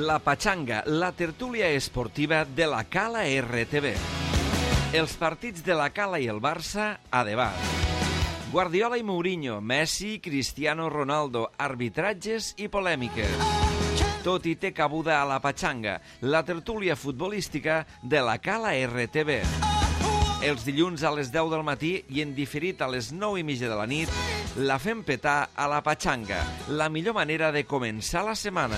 La Pachanga, la tertúlia esportiva de la Cala RTV. Els partits de la Cala i el Barça a debat. Guardiola i Mourinho, Messi, Cristiano Ronaldo, arbitratges i polèmiques. Tot hi té cabuda a la Pachanga, la tertúlia futbolística de la Cala RTV. Els dilluns a les 10 del matí i en diferit a les 9:30 de la nit, la fem petar a la Pachanga, la millor manera de començar la setmana.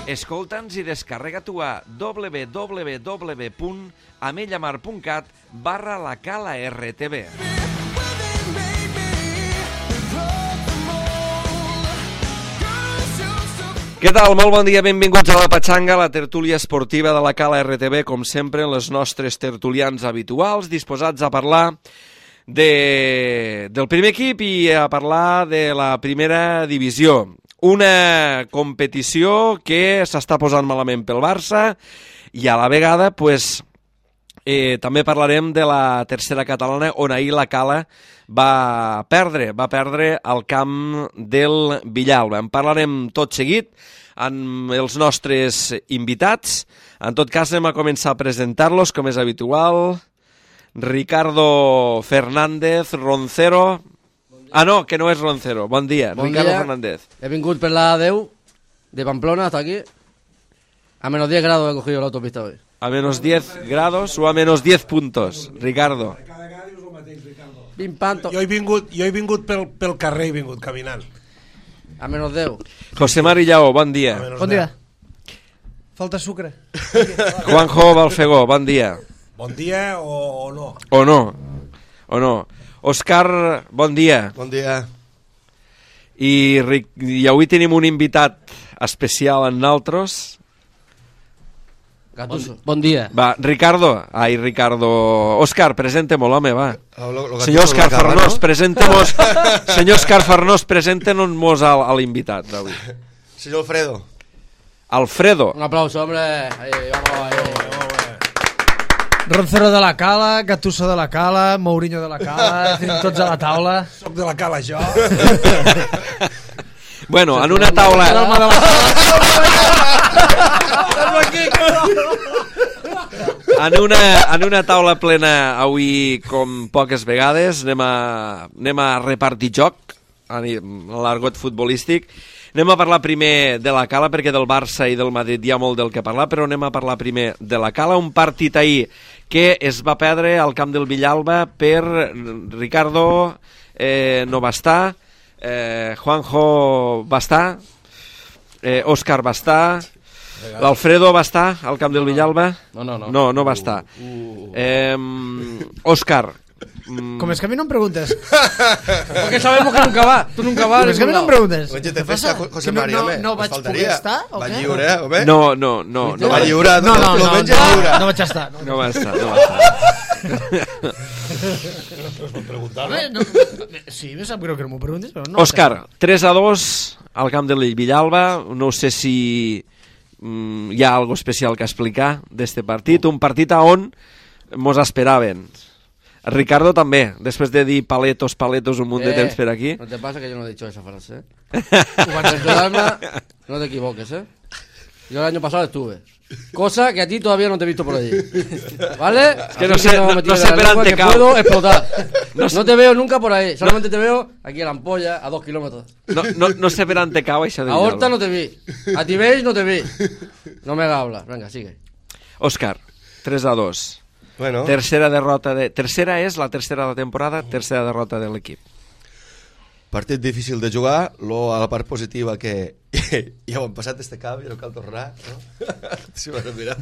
Escolta'ns i descarrega-t'ho a www.amellamar.cat/lacala-rtv. Què tal? Molt bon dia, benvinguts a la Pachanga, la tertúlia esportiva de la Cala RTV, com sempre, en les nostres tertulians habituals, disposats a parlar del primer equip i a parlar de la primera divisió. Una competició que s'està posant malament pel Barça i a la vegada també parlarem de la tercera catalana, on ahir la Cala va perdre al camp del Villalba. En parlarem tot seguit amb els nostres invitats. En tot cas, anem a començar a presentar-los, com és habitual. Ricardo Fernández, Roncero. Ah, no, que no és Roncero. Bon dia, Ricardo Fernández. He vingut per la 10 de Pamplona hasta aquí. A menos 10 grados he cogido la autopista hoy. A menos 10 grados o a menos 10 puntos, Ricardo? Jo he vingut pel carrer, he vingut caminant. A menos 10. José Mari Lleó, bon dia. Bon dia. Falta sucre. Juanjo Balfegó, bon dia. Bon dia o no? O no. Òscar, bon dia. Bon dia. I avui tenim un invitat especial en nosaltres. Gattuso. Bon dia. Va, Ricardo. Òscar, presente-m'ho, home, va. Senyor Òscar Farnós, Farnós, presente-mos. Senyor Òscar Farnós, presente-nos a l'invitat d'avui. Senyor Alfredo. Alfredo. Un aplauso, hombre. Ahí, vamos. Roncero de la Cala, Gattuso de la Cala, Mourinho de la Cala, tots a la taula. Soc de la Cala, jo. Bueno, en una taula... En una taula plena avui, com poques vegades, anem a repartir joc, a l'argot futbolístic. Anem a parlar primer de la Cala, perquè del Barça i del Madrid hi ha molt del que parlar, però anem a parlar primer de la Cala. Un partit ahir que es va perdre al camp del Villalba per Ricardo, no va estar, Juanjo va estar, Òscar va estar, l'Alfredo va estar al camp del Villalba? No va estar. Òscar. Com és que a mi no em preguntes? Porque sabemos que nunca va. Tú nunca vas. Com és que a mi no em preguntes? Què passa? José Mari, home. No vaig poder estar, o va què? lliure, home. No va lliure. No vaig estar. No va estar. Sí, me sap greu que no m'ho preguntes, però no. Òscar, 3-2 al camp del Villalba. No sé si hi ha algo especial que explicar d'este partit. Un partit on mos esperaven. Ricardo també, després de dir paletos un munt de temps per aquí. No te pasa que yo no he dicho esa frase, Ho no te equivoques, Yo el año pasado estuve. Cosa que a ti todavía no te he visto por allí. ¿Vale? Es que no sé per on te cau. Puedo explotar. No te veo nunca por ahí. Solamente te veo aquí a la ampolla, a 2 kilómetros. No sé per on te cau això del A Horta Villalba. no te vi. A Tibeix no te vi. No me hagas hablar. Venga, sigue. Òscar, 3-2. Bueno, Tercera és la tercera de la temporada, tercera derrota de l'equip. partit difícil de jugar, a la part positiva que ja ho hem passat este camp i no cal tornar, no? Si m'has de mirar.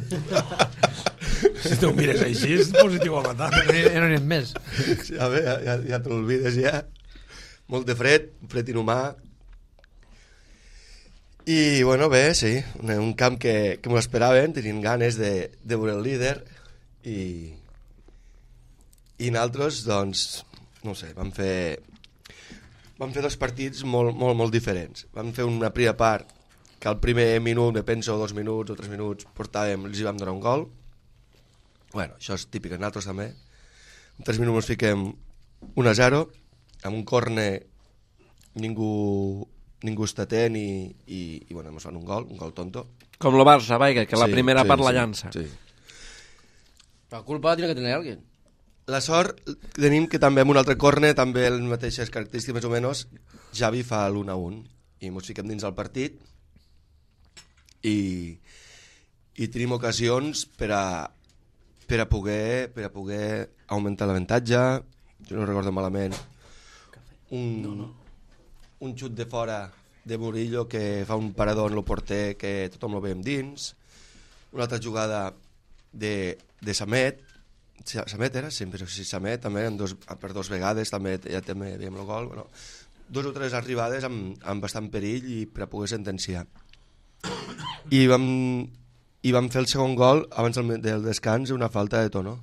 Si tu ho mires així, és positiu a matar. No n'hi ha més. Sí, a veure, ja te l'olvides ja. Molt de fred inhumà. I, bueno, bé, sí, un camp que m'ho esperaven, tenien ganes de veure el líder i nosaltres, doncs, no sé, vam fer 2 partits molt diferents. Vam fer una primera part que al primer minut, me penso 2 minuts o 3 minuts, els hi vam donar un gol. Bueno, això és típic, nosaltres també. En 3 minuts ens fiquem 1-0, amb un córner ningú ningú està atent i bueno, ens fan un gol tonto. Com el Barça, vaja, que la primera part la sí, llança. Sí. La culpa la tiene que tener alguien. La sort tenim que també en un altre corner, també les mateixes característiques més o menys, Xavi fa l'1-1 i ens fiquem dins el partit i tenim ocasions per a poder augmentar l'avantatge. Jo no recordo malament un xut de fora de Murillo que fa un parador en el porter que tothom lo veiem dins, una altra jugada de Samet era? Sempre sí, Samet també, per dos vegades també, ja també veiem el gol, bueno, 2 o 3 arribades amb bastant perill i per a poder sentenciar i vam fer el segon gol abans del descans, una falta de Tono.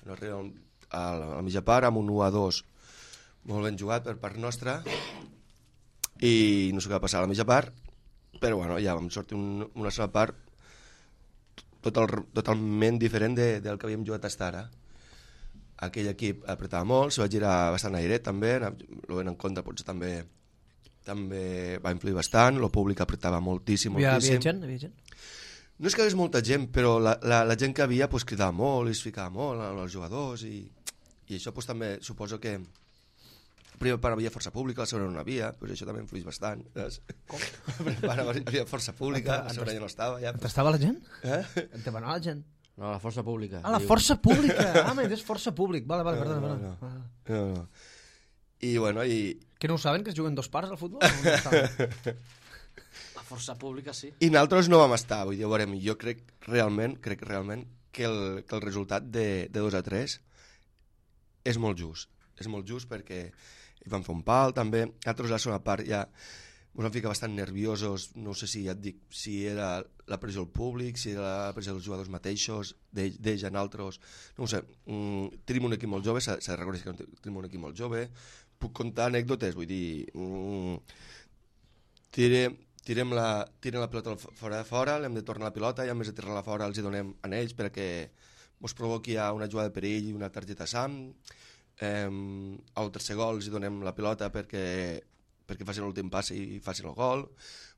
Bueno, arribem a la mitja part amb un 1-2 molt ben jugat per part nostra i no sé què va passar a la mitja part, però bueno, ja vam sortir una sola part totalment diferent del que havíem jugat fins ara. Aquell equip apretava molt, se va girar bastant airet també, lo ven en compte potser també va influir bastant, el públic apretava moltíssim. Hi havia gent? No és que hi hagués molta gent, però la gent que havia pues, cridava molt i es ficava molt als jugadors i això pues, també suposo que la primera part havia força pública, la segona no havia, pues això també influïx bastant. Com? La primera part havia força pública, la segona ja no estava. Ja. T'estava la gent? En te va anar la gent? No, la força pública. Ah, la força pública! Ah, m'he dit força públic. Vale, perdona. No. I bueno, Que no ho saben, que es juguen 2 parts al futbol? No la força pública, sí. I nosaltres no vam estar, vull dir, veurem, jo crec realment que el resultat de 2-3 és molt just perquè van fer un pal també, nosaltres a la segona part ja ens vam ficar bastant nerviosos, no sé si ja et dic, si era la pressió del públic, si era la pressió dels jugadors mateixos, d'ells en altres, no ho sé, tenim un equip molt jove, s'ha de reconèixer que tenim un equip molt jove, puc contar anècdotes, vull dir, tirem la pilota fora de fora, l'hem de tornar la pilota i a més de tirar-la fora els hi donem a ells perquè ens provoqui una jugada de perill i una targeta Sam. Al tercer gol els hi donem la pilota perquè facin l'últim pas i facin el gol.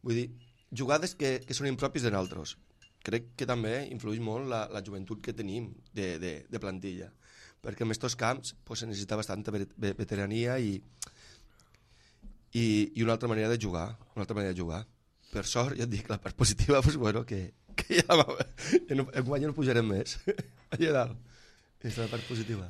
Vull dir, jugades que són impropis de nosaltres. Crec que també influeix molt la joventut que tenim de plantilla, perquè en aquests camps pues, se necessita bastanta veterania i una altra manera de jugar. Per sort, ja et dic, la part positiva, pues, bueno, que ja no pujarem més. Allà dalt. És la part positiva.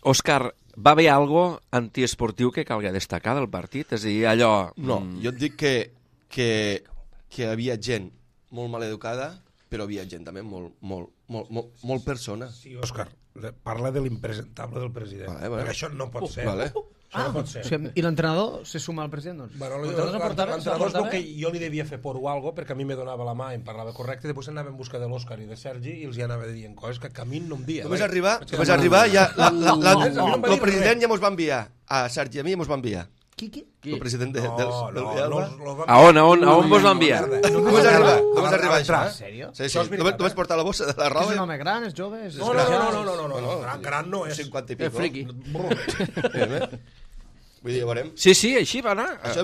Òscar, va haver algo antiesportiu que calgui destacar del partit? És a dir, allò... No, jo et dic que hi havia gent molt maleducada, però havia gent també molt persona. Sí, Òscar, parla de l'impresentable del president. Vale. Perquè això no pot ser. Vale. Això no pot ser. O sigui, i l'entrenador se suma al president? Doncs? Bueno, L'entrenador és el que jo li devia fer por o algo, perquè a mi me donava la mà i em parlava correcte, i després anava en busca de l'Òscar i de Sergi i els hi anava dient coses que a mi no em dia. Només arribar ja el president ja mos va enviar a Sergi i a mi mos va enviar. Qui? El president del A on vos va enviar? Només arribar això. En sèrio? Sí, només portar la bossa de la roba. És un home gran, és jove? No, gran no és. 50 i pico. És friqui. Vull dir, ja veurem. Sí, així va anar. Això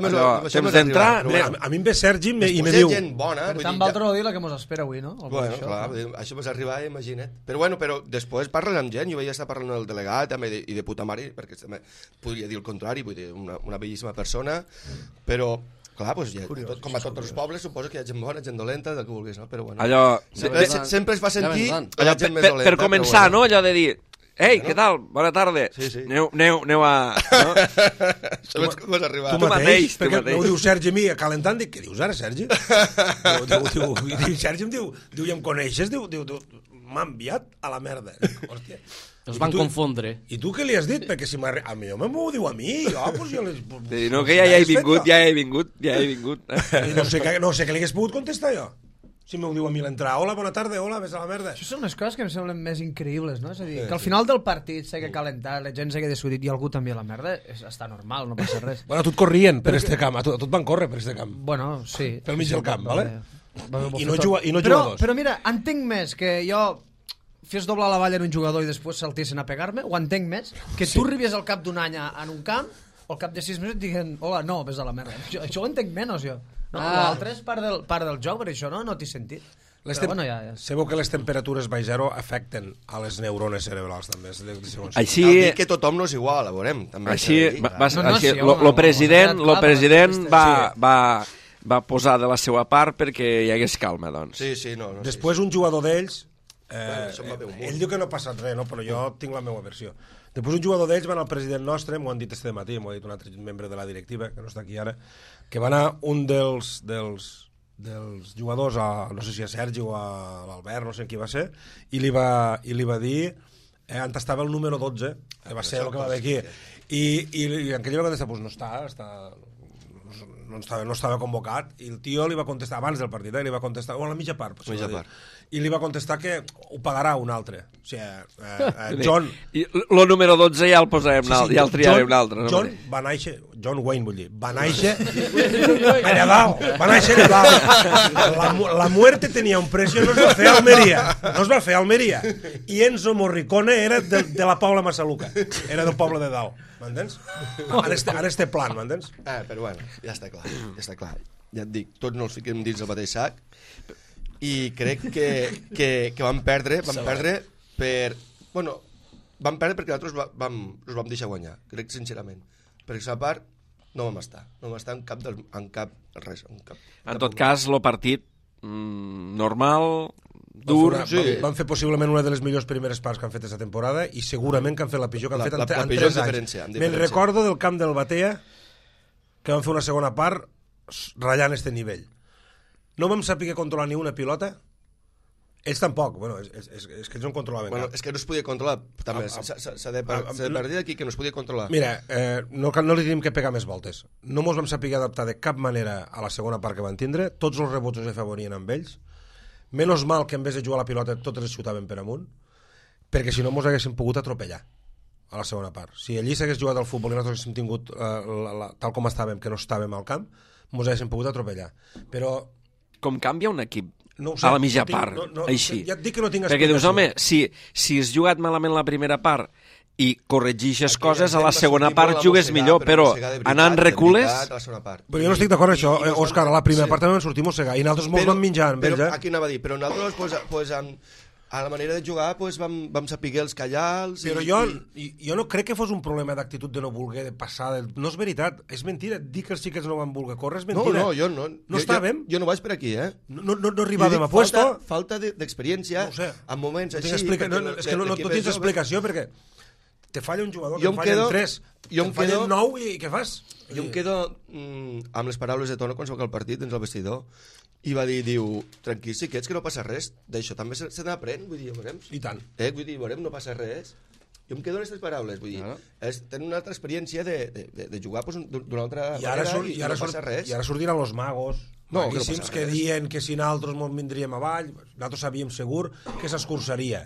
Temps d'entrar... A mi em ve Sergi i me Posem diu... gent bona. Per tant, Valtro no dir la que mos espera avui, no? Bueno, clar, això vas arribar, imagina't. Però després parles amb gent, jo vaig estar parlant amb el delegat també i de puta mare, perquè també podria dir el contrari, vull dir, una bellíssima persona, però... Clar, doncs ja, com a tots els pobles, suposo que hi ha gent bona, gent dolenta, del que vulguis, no? Però bueno, allò... sempre es fa sentir la gent més dolenta. Per començar, no? Allò de dir... Ei, què tal? Bona tarda. Sí. Aneu a... No? Sabets com vas arribar? Tu mateix, perquè mateix. ho diu Sergi a mi, calentant, dic, què dius ara, Sergi? Diu Sergi em diu, ja em coneixes? Diu, m'ha enviat a la merda. Hòstia. Els van confondre. I tu què li has dit? Perquè si a mi m'ho diu a mi, jo les... No, que ja he vingut. I no sé què li hagués pogut contestar jo. Si m'ho diu a mi l'entrada, hola, bona tarda, hola, ves a la merda. Això són unes coses que em semblen més increïbles, no? És a dir, que al final del partit s'hagi calentat, la gent s'hagi discutit i algú també a la merda, està normal, no passa res. Bueno, a tu et corrien per este camp, a tu et van córrer per este camp. Bueno, sí. Pel mig del camp, vale? I no però, jugadors. Però mira, entenc més que jo fes doblar la valla en un jugador i després saltissin a pegar-me, ho entenc més, que tu arribis al cap d'un any en un camp o al cap de 6 mesos et diguen hola, no, ves a la merda. Això ho entenc menys, jo. No, l'altre és part del joc, per això no té sentit. Però bueno, ja. Sabeu que les temperatures baix zero afecten a les neurones cerebrals també. Així... Cal dir que tothom no és igual, a veurem. Així, el president va posar de la seva part perquè hi hagués calma, doncs. Sí, no. Després un jugador d'ells, ell diu que no ha passat res, no? Però jo tinc la meva versió. Després un jugador d'ells va anar al president nostre, m'ho han dit este matí, m'ho ha dit un altre membre de la directiva, que no està aquí ara, que va anar un dels jugadors, no sé si a Sergi o a l'Albert, no sé qui va ser, i li va dir on estava el número 12, va ser el que va haver aquí, i en aquell va contestar, pues no estava convocat, i el tio li va contestar abans del partit, li va contestar, o a la mitja part, i li va contestar que ho pagarà un altre. O sigui, John... El número 12 ja el posarem, ja el triarem un altre. John Wayne, vull dir, va néixer allà dalt, va néixer allà dalt. La muerte tenia un precio, no es va fer a Almeria. I Enzo Morricone era de la Pobla Massaluca, era del poble de dalt, m'entens? Ara este plan, m'entens? Però bueno, ja està clar. Ja et dic, tots no els fiquem dins el mateix sac, i crec que vam perdre per... Bueno, vam perdre perquè nosaltres us vam deixar guanyar, crec sincerament. Perquè a part no vam estar en cap res. En tot cas, el partit normal, dur... Van fer possiblement una de les millors primeres parts que han fet aquesta temporada i segurament que han fet la pitjor que han fet en 3 anys. Me'n recordo del camp del Batea que van fer una segona part ratllant este nivell. No vam saber controlar ni una pilota. Ells tampoc, és que ells no controlaven cap. És que no es podia controlar, també. S'ha de partir d'aquí que no es podia controlar. Mira, no li tenim que pegar més voltes. No mos vam saber adaptar de cap manera a la segona part que van tindre. Tots els rebots els afavorien amb ells. Menys mal que en vez de jugar a la pilota totes els xutaven per amunt, perquè si no mos haguéssim pogut atropellar a la segona part. Si allí s'hagués jugat al futbol i nosaltres haguéssim tingut tal com estàvem, que no estàvem al camp, mos haguéssim pogut atropellar. Però... Com canvia un equip a la mitja part, així? Ja et dic que no tinc explicació. Perquè dius, home, si has jugat malament la primera part i corregixes coses, a la segona part jugues millor, però anant recules... Però jo no estic d'acord amb això, Òscar, a la primera part també vam sortir mossegar i nosaltres molts vam menjar amb ells, Aquí anava a dir, però nosaltres, a la manera de jugar vam saber els callals... Però jo no crec que fos un problema d'actitud de no voler passar... No és veritat, és mentida. Dir que els xiquets no van voler córrer és mentida. No, jo no. No estàvem? Jo no vaig per aquí, No arribàvem a puesto. Falta d'experiència en moments així... És que no tens explicació perquè te falla un jugador, te fallen 3, te fallen 9 i què fas? Jo em quedo amb les paraules de Tono quan s'acaba el partit dins el vestidor i va dir, tranquil, xiquets, que no passa res, d'això també se n'aprèn, vull dir, veurem. I tant. Vull dir, veurem, no passa res. Jo em quedo en aquestes paraules, vull dir, tenen una altra experiència de jugar d'una altra manera i no passa res. I ara sortiran los magos, maguíssims, que diuen que si nosaltres ens vindríem avall, nosaltres sabíem segur que s'escurçaria.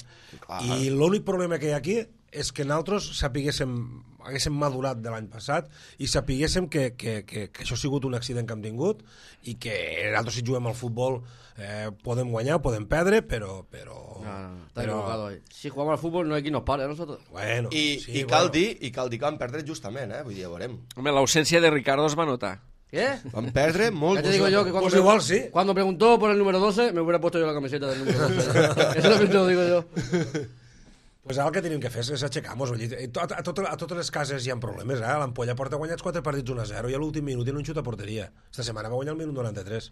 I l'únic problema que hi ha aquí és que nosaltres haguéssim madurat de l'any passat i sapiguéssim que això ha sigut un accident que hem tingut i que nosaltres si juguem al futbol podem guanyar, podem perdre, però... Está equivocado ahí. Si jugamos al fútbol no hay quien nos pare a nosotros. Bueno, I cal dir que vam perdre justament, vull dir, ja veurem. Home, l'ausència de Ricardo es va notar. ¿Qué? Van perdre molt. Ya te digo yo que pues igual sí. Cuando preguntó por el número 12 me hubiera puesto yo la camiseta del número 12. Eso es lo que te lo digo yo. Pues ara el que tenim que fer és aixecar-nos. A totes les cases hi ha problemes. L'Ampolla porta guanyats 4 partits 1-0 i a l'últim minut i no xut a porteria. Esta setmana va guanyar el minut 93.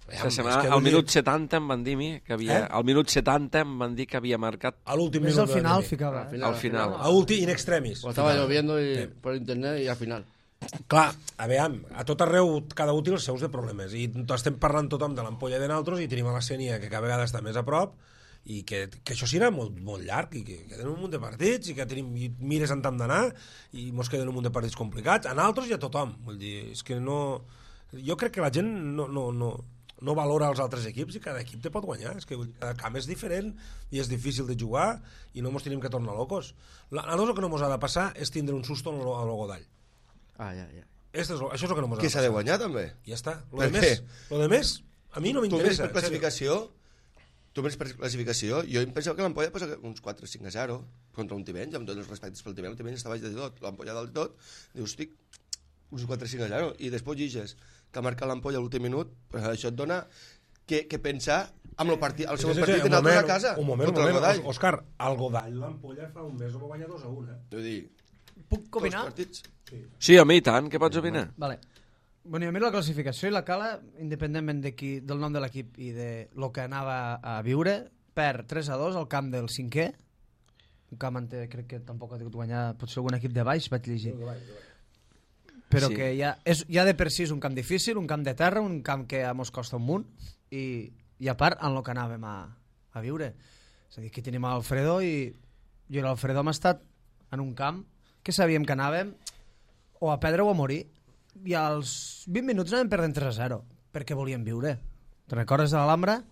Esta setmana, al minut 70 em van dir que havia... Al minut 70 em van dir que havia marcat... A l'últim minut. Al final ficava. Al final. A últim, in extremis. Lo estaba lloviendo por internet y al final. Clar, a tot arreu cada útil els seus de problemes i estem parlant tothom de l'Ampolla de nosaltres i tenim a la Sénia que cada vegada està més a prop i que això serà molt llarg i que tenen un munt de partits i que mires on hem d'anar i mos queden un munt de partits complicats a nosaltres i a tothom, vull dir, és que no... Jo crec que la gent no valora els altres equips i cada equip te pot guanyar, és que cada camp és diferent i és difícil de jugar i no mos tenim que tornar locos. A nosaltres el que no mos ha de passar és tindre un susto a l'Ogodall. Ja. Això és el que no mos ha de passar. Que s'ha de guanyar també. Ja està. Lo de més, a mi no m'interessa. Tu per classificació tu ves per classificació, jo em pensava que l'Ampolla posa uns 4-5-0 contra un Tivenys, amb tots els respectes pel Tivenys, el Tivenys està baix de tot, l'Ampolla dalt de tot, dius, estic, uns 4-5-0, i després lliges que ha marcat l'Ampolla a l'últim minut, pues això et dona que pensar amb el segon partit de nosaltres a casa. Un moment, Òscar, al Godall l'Ampolla fa un mes ho va guanyar 2-1, Vull dir, Puc opinar? Sí, home, i tant, què pots opinar? Vale. Bueno, jo miro la classificació i la Cala, independentment del nom de l'equip i de lo que anava a viure, perd 3-2 al camp del 5è, un camp on crec que tampoc ha tingut guanyar potser algun equip de baix, vaig llegir. Però Sí. que ja de per si és un camp difícil, un camp de terra, un camp que mos costa un munt, i a part en el que anàvem a viure. És a dir, aquí tenim Alfredo i jo i l'Alfredo hem estat en un camp que sabíem que anàvem o a perdre o a morir, i als 20 minuts anàvem perdent 3-0 perquè volíem viure. Te'n recordes de l'Alhambra?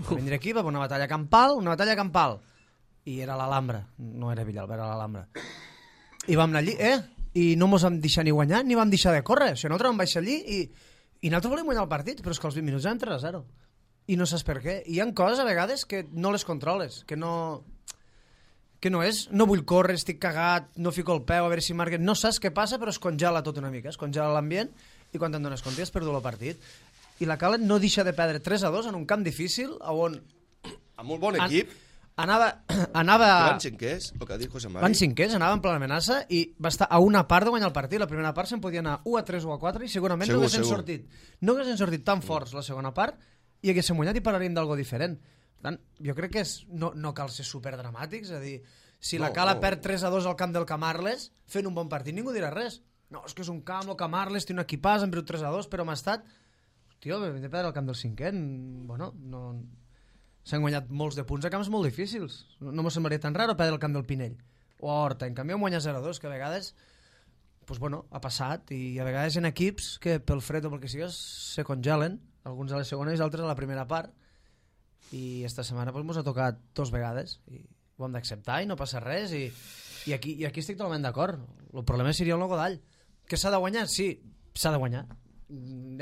Va vindre aquí, va haver una batalla campal, i era l'Alhambra, no era Villalba, era l'Alhambra. I vam anar allí, i no mos vam deixar ni guanyar ni vam deixar de córrer. O sigui, nosaltres vam baixar allí i nosaltres volíem guanyar el partit, però és que als 20 minuts eren 3-0 i no saps per què. I hi ha coses a vegades que no les controles, que no és, no vull córrer, estic cagat, no fico el peu a veure si marquen, no saps què passa, però es congela tot una mica, es congela l'ambient, i quan te'n dones compte has perdut el partit. I la Cala no deixa de perdre 3-2 en un camp difícil on amb un bon equip, anava van cinquers, el que ha dit José Mari. van cinquers, anava en plena amenaça i va estar a una part de guanyar el partit. La primera part se'n podia anar 1-3 o 4 i segurament no haguessin sortit tan forts la segona part i haguéssim guanyat i parlaríem d'algo diferent. Per tant, jo crec que no cal ser superdramàtics, és a dir, si la Cala perd 3-2 al camp del Camarles fent un bon partit ningú dirà res. No, és que és un camp, el Camarles té un equipàs, han perdut 3-2, però hem estat... Tio, vam de perdre el camp del 5è, bueno, no... S'han guanyat molts de punts a camps molt difícils. No m'ho semblaria tan raro perdre el camp del Pinell o a Horta. En canvi, vam guanyar 0-2, que a vegades pues, bueno, ha passat, i a vegades en equips que pel fred o pel que sigues se congelen, alguns a la segona i altres a la primera part, i esta setmana pues, mos ha tocat 2 vegades i ho hem d'acceptar i no passa res, i aquí estic totalment d'acord. El problema seria el Godall, que s'ha de guanyar, sí, s'ha de guanyar.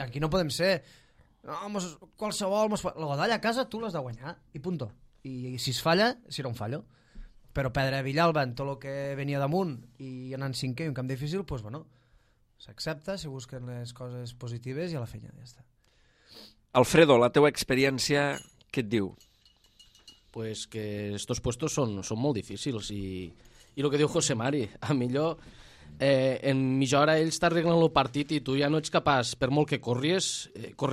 Aquí no podem ser qualsevol... El Godall a casa tu l'has de guanyar i punto. I si es falla, serà un fallo. Però perdre a Villalba en tot el que venia damunt i anar en 5è i un camp difícil, doncs bueno, s'accepta, se busquen les coses positives i a la feina ja està. Alfredo, la teua experiència, què et diu? Pues que estos puestos son molt difícils y lo que diu José Mari, a millor en mitja hora ells t'arreglen el partit i tu ja no ets capaç, per molt que corres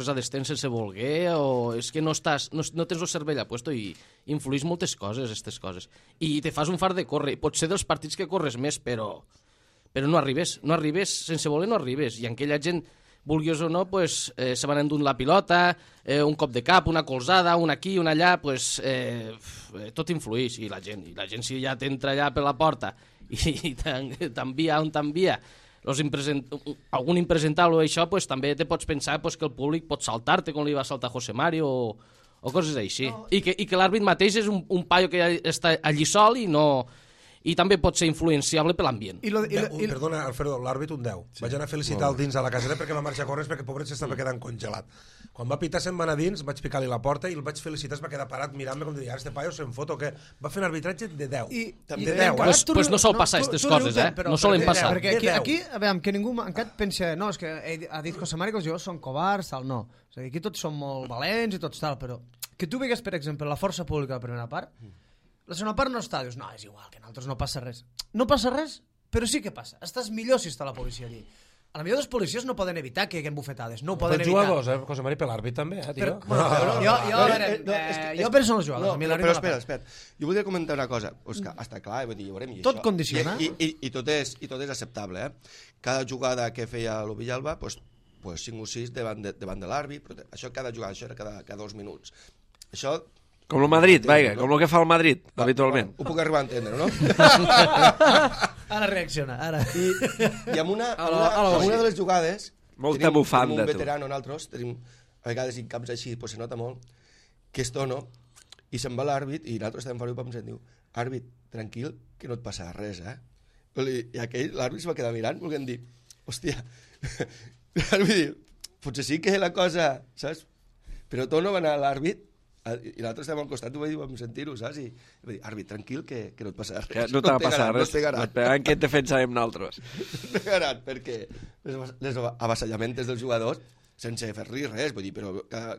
a descens sense voler, o és que no tens el cervell a puesto i influís moltes coses, aquestes coses. I te fas un fart de córrer, pot ser dels partits que corres més, però no arribes, sense voler no arribes, i aquella gent, vulguis o no, pues, se van endur la pilota, un cop de cap, una colzada, una aquí, una allà, pues, tot influeix, i la gent si ja t'entra allà per la porta i t'envia on t'envia, algun impresentable o això, pues, també te pots pensar pues, que el públic pot saltar-te com li va saltar José Mari o coses així, no. I que l'àrbit mateix és un paio que ja està allí sol i també pot ser influenciable per l'ambient. Perdona, Alfredo, l'àrbit un 10. Sí. Vaig anar a felicitar el dins a la caseta perquè va marxar a córrer perquè pobret s'estava quedant congelat. Quan va pitar se'n va anar dins, vaig picar-li la porta i el vaig felicitar, es va quedar parat mirant-me com de dir, este paio se'n fot o què? Va fer un arbitratge de 10. De 10, Pues no sol passar aquestes coses, no solen passar. Perquè aquí, a veure, que ningú encara pensa, no, és que ha dit José Mari que els jugadors són covards, tal, no. És a dir, aquí tots són molt valents i tots tal, però que tu vegues, per exemple, la força pública a la primera part, la segona part no està, dius, no, és igual, que en altres no passa res. No passa res, però sí que passa. Estàs millor si està la policia allí. A la millor dels policies no poden evitar que hi hagi bufetades, no ho poden evitar. Els jugadors, José Mari, per l'àrbit també, tio. Jo penso en els jugadors. Però espera. Jo voldria comentar una cosa. Òscar, està clar, vull dir, ja veurem. Tot condiciona. I tot és acceptable, Cada jugada que feia el Villalba, pues 5 o 6 davant de l'àrbit, però això cada jugada, això era cada 2 minuts. Això... Com el Madrid, vaja, com el que fa el Madrid, habitualment. Ho puc arribar a entendre, no? Ara reacciona, ara. I amb una de les jugades... Molta bufanda, tu. Tenim un veterano, nosaltres, a vegades en camps així, pues se nota molt, que és tono, i se'n va l'àrbit, i nosaltres estem fora i pensem, diu, àrbit, tranquil, que no et passa res, I aquell, l'àrbit se va quedar mirant, volguem dir, hòstia, l'àrbit diu, potser sí que la cosa, saps? Però tono va anar a l'àrbit, I l'altre estava al costat, ho vam sentir-ho, saps? I va dir, àrbit, tranquil, que no et passarà res. No t'ha passat res. No et pegaran. No et pegaran, que et defensarem nosaltres. No et pegaran, perquè les avassallaments dels jugadors, sense fer-li res, vull dir, però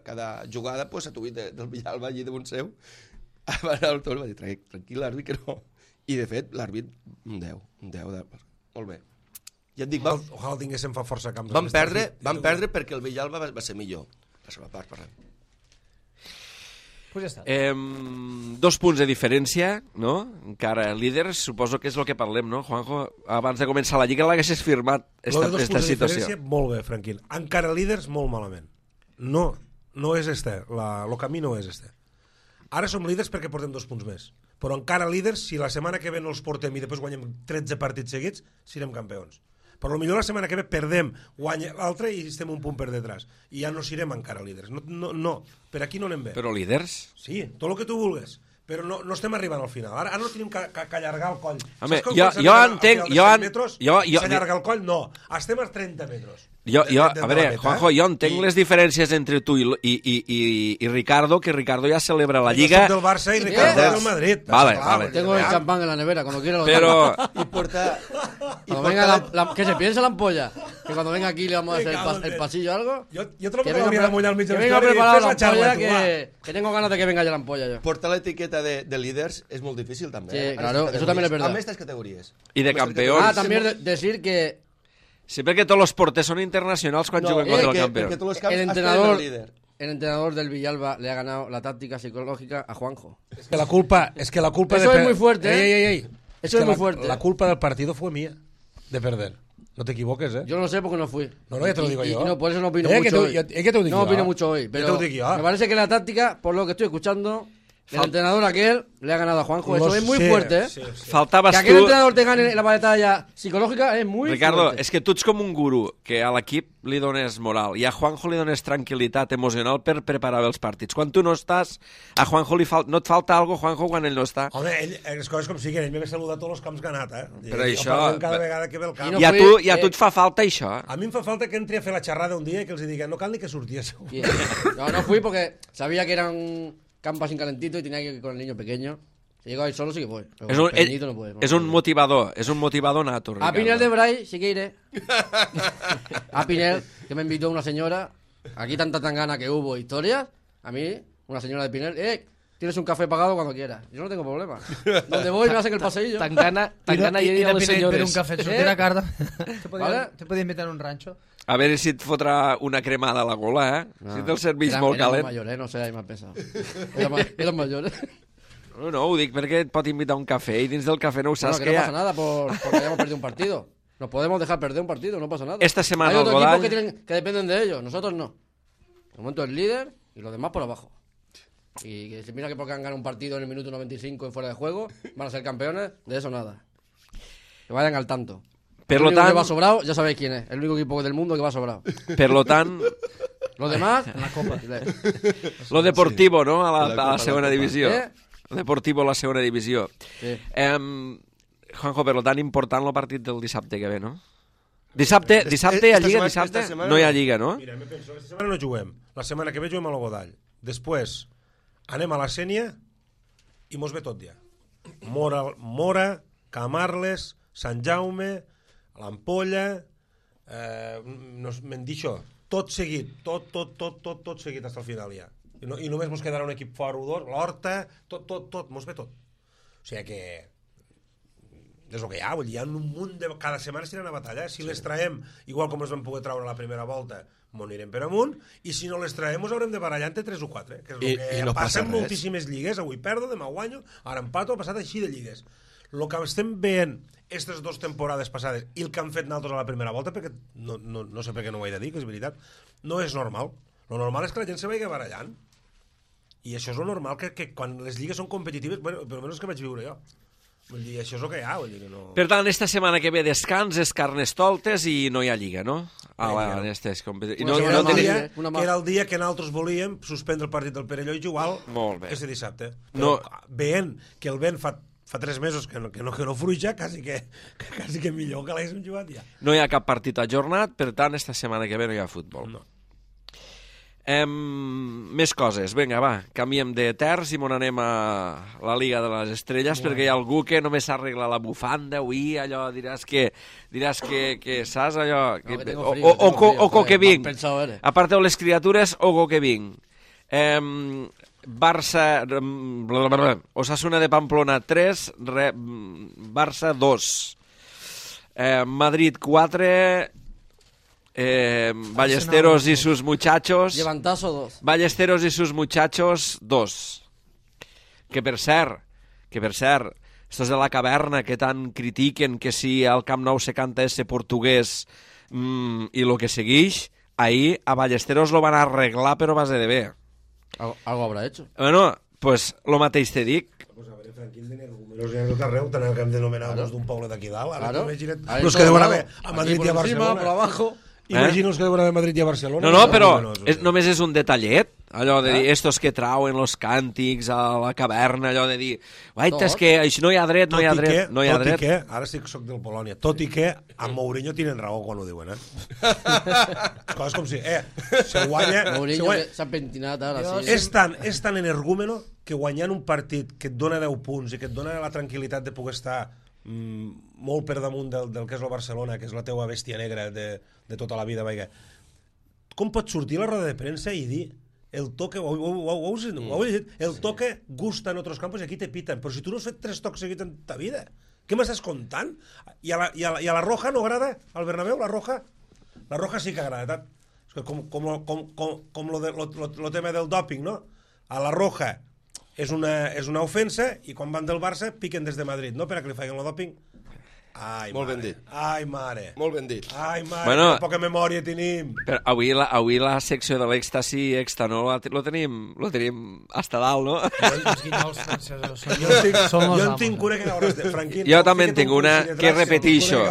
cada jugada, pues, a tu del Villalba allí damunt seu, va anar al torn, va dir, tranquil, l'àrbit, que no. I, de fet, l'àrbit, un 10. Molt bé. Ja et dic, Ojalà tinguéssim fa força camps. vam perdre perquè el Villalba va ser millor. La seva part, parlem. Pues ja està. 2 punts de diferència, no? Encara líders, suposo que és el que parlem, no, Juanjo? Abans de començar la Lliga l'haguessis firmat, Lo de 2 esta punts de situació. diferència, molt bé, tranquil. Encara líders, molt malament. No és este. El camí no és este. Ara som líders perquè portem 2 punts més. Però encara líders, si la setmana que ve no els portem i després guanyem 13 partits seguits, serem campions. Però potser la setmana que ve perdem, guanya l'altre i estem un punt per detrás. I ja no serem encara líders. No. Per aquí no anem bé. Però líders? Sí, tot el que tu vulguis. Però no estem arribant al final. Ara no tenim que allargar el coll. Home, Saps com jo quan s'arriba entenc- al final de 100 metres, jo- s'allarga el coll? No, estem a 30 metres. A veure, meta, Juanjo, jo entenc les diferències entre tu i Ricardo, que Ricardo ja celebra la Lliga. Jo soc del Barça i Ricardo és del Madrid. Vale, Està clar, vale. vull dir, Tengo el veam. champán en la nevera, cuando quiera lo Però, I porta... Cuando venga que se piense la ampolla. Que cuando venga aquí le vamos a hacer el pasillo o algo. Jo te lo Que podria de mullar al mig de que venga l'història i preparada fes la la xarla, ampolla, tu, va. que tengo ganas de que venga ya la ampolla yo. Portar l'etiqueta de líders és molt difícil, també. Sí, en claro, estas eso también es categories. verdad. En estas categories. I de En estas campeons. Ah, categories. también decir que sí, perquè tots els porters són internacionals quan juguen contra el campió. Perquè tots els camps el has entrenador, el líder. el entrenador del Villalba le ha ganado la táctica psicológica a Juanjo. Es que la culpa Eso es muy fuerte, ¿eh? Ey. Eso es muy fuerte. La culpa del partido fue mía, de perder. No te equivoques, ¿eh? Yo no lo sé porque no fui. No, ya te lo digo Y yo. no, por eso no opino Que mucho tu- hoy. que te ho dic No jo. opino mucho hoy, Que pero te ho dic jo. me parece que la táctica, por lo que estoy escuchando, el entrenador aquel le ha ganado a Juanjo. Eso Los- es muy sí, fuerte, ¿eh? sí. Faltaves Que aquel tu... entrenador te gane la batalla psicológica es muy Ricardo, fuerte. és que tu ets com un guru, que a l'equip li dones moral i a Juanjo li dones tranquil·litat emocional per preparar bé els partits. Quan tu no estàs, a Juanjo no et falta algo, Juanjo, quan ell no està? Home, les coses com siguin, ell m'ha saludat tots els camps que ha anat, eh? Però I això- jo parlem cada vegada que ve el camp. no I a fui- tu et fa falta això? A mi em fa falta que entri a fer la xerrada un dia i que els digui no cal ni que surti això. Bien. No fui porque sabía que era un campo así calentito y tenía que ir con el niño pequeño. Si llego ahí solo sí que voy. Pero És con un, el pequeñito no puede. és un motivador nato, A Ricardo. Pinel de Bray sí que iré. A Pinel, que me invitó una señora. Aquí tanta tangana que hubo, historias. A mí, una señora de Pinel, tienes un café pagado cuando quieras. Yo no tengo problema. Donde voy me hacen el paseillo. Tan gana I i a de les Pinell per un senyores. cafè, sortir a Carda. Vale. Te podien invitar a un rancho. A veure si et fotrà una cremada a la gola, eh? Si te'l servís molt era calent. mayor, no sé, ahí más pesado. Era mayor. No, ho dic perquè et pot invitar a un cafè i dins del cafè no ho Bueno, saps que no que pasa nada porque hayamos perdido un partido. Nos podemos dejar perder un partido, no pasa nada. Esta semana hay otros el equipos Godall- que dependen de ellos, nosotros no. De momento el líder y los demás por abajo. Y que se mira que porque han ganado un partido en el minuto 95 en fuera de juego, van a ser campeones, de eso nada. Que vayan al tanto. Per el lo único que tant- va sobrado, ya sabéis quién es. El único equipo del mundo que va sobrado. Per lo tant, Los demás, en la copa. lo deportivo, no? A La la Copa, segona la Copa. divisió. Eh? Lo deportivo a la segona divisió. Sí. Juanjo, per lo tant, important el partit del dissabte que ve, no? Dissabte hi ha esta Lliga, setmana- dissabte? esta setmana No hi ha no. Lliga, no? Mira, me penso, aquesta setmana no juguem. La setmana que ve juguem a la Godall. Després anem a la Sènia i mos ve tot ja. Mora, Camarles, Sant Jaume, l'Ampolla, m'han dit això, tot seguit, tot seguit fins al final ja. I només mos quedarà un equip fora o dos, l'Horta, tot, mos ve tot. O sigui que és el que hi ha, vull dir, hi ha un munt de... Cada setmana s'aniran a batalla, si les traiem, igual com els vam poder traure a la primera volta, m'ho anirem per amunt, i si no les traiem, us haurem de barallar entre 3 o 4, que és el que no passa passa en res. moltíssimes lligues, avui perdo, demà guanyo, ara empato, ha passat així de lligues. El que estem veient aquestes 2 temporades passades i el que han fet nosaltres a la primera volta, perquè no sé per què no ho he de dir, que és veritat, no és normal. Lo normal és que la gent se vagi barallant. I això és lo normal, que quan les lligues són competitives, bueno, per almenys que vaig viure jo. Vull dir, això és el que hi ha, vull dir que no... Per tant, esta setmana que ve descans, és Carnestoltes i no hi ha Lliga, no? Lliga. En estes competicions. Una que no era, el tenim- dia, una que era el dia que nosaltres volíem suspendre el partit del Perelló i jugar Molt bé. este dissabte. No. Però veient que el vent fa 3 mesos que no fruja, quasi que millor que l'haguéssim jugat ja. No hi ha cap partit ajornat, per tant, esta setmana que ve no hi ha futbol. No. Més coses. Vinga, va, canviem de terç i m'on anem a la Liga de les Estrelles, perquè hi ha algú que només s'arregla la bufanda, avui, allò, diràs que saps allò... No, que tengo frío, Oco que vinc. Pensado eres. Aparteu les criatures, oco que vinc. Barça... Osasuna de Pamplona 3, Barça 2. Madrid 4... Ballesteros y sus muchachos. Llevantazo 2. Ballesteros y sus muchachos 2. Que per cert, estos de la caverna que tant critiquen que si al Camp Nou se canta ese portuguès i lo que segueix, ahir a Ballesteros lo van arreglar però a base de bé. Algo habrá hecho. Bueno, pues lo mateix te dic. Pues a veure, Franquín, de números en tot arreu, tant el que hem d'anomenar d'un poble d'aquí dalt. Ara Claro. imagina't Ahí los todo que deuen lado. haver a Madrid Aquí i a por encima, Barcelona. por abajo. Imagino els que deuen haver a Madrid i a Barcelona. No, però Números, només és un detallet, allò de dir, estos que trauen los càntics a la caverna, allò de dir, guaita, és que això no hi ha dret, no hi ha dret, no hi ha tot dret. i que, ara sí que soc del Polònia, tot i que amb Mourinho tenen raó quan ho diuen, Coses com si, se guanya... Mourinho que s'ha pentinat ara, sí. És tan energúmeno que guanyant un partit que et dona 10 punts i que et dona la tranquil·litat de poder estar molt per damunt del que és el Barcelona, que és la teua bèstia negra de tota la vida, vaja. Com pots sortir a la roda de premsa i dir el toque, ho heu llegit, el toque gusta en otros campos i aquí te piten, però si tu no has fet 3 tocs seguits en ta vida, què m'estàs contant? I a la Roja no agrada, al Bernabéu, la Roja sí que agrada, com lo tema del dòping, no? A la Roja és una ofensa i quan van del Barça piquen des de Madrid, no? Per a que li facin el dòping. Ai, Molt mare. ben dit. Ai, mare. Molt ben dit. Ai, mare, Bueno, que poca memòria tenim. Però avui la secció de l'èxtasi extra, no? Lo tenim hasta dalt, no? Els guinyols francesos Jo en tinc una que cauràs de... Franquín, Jo també en tinc una que repetixo.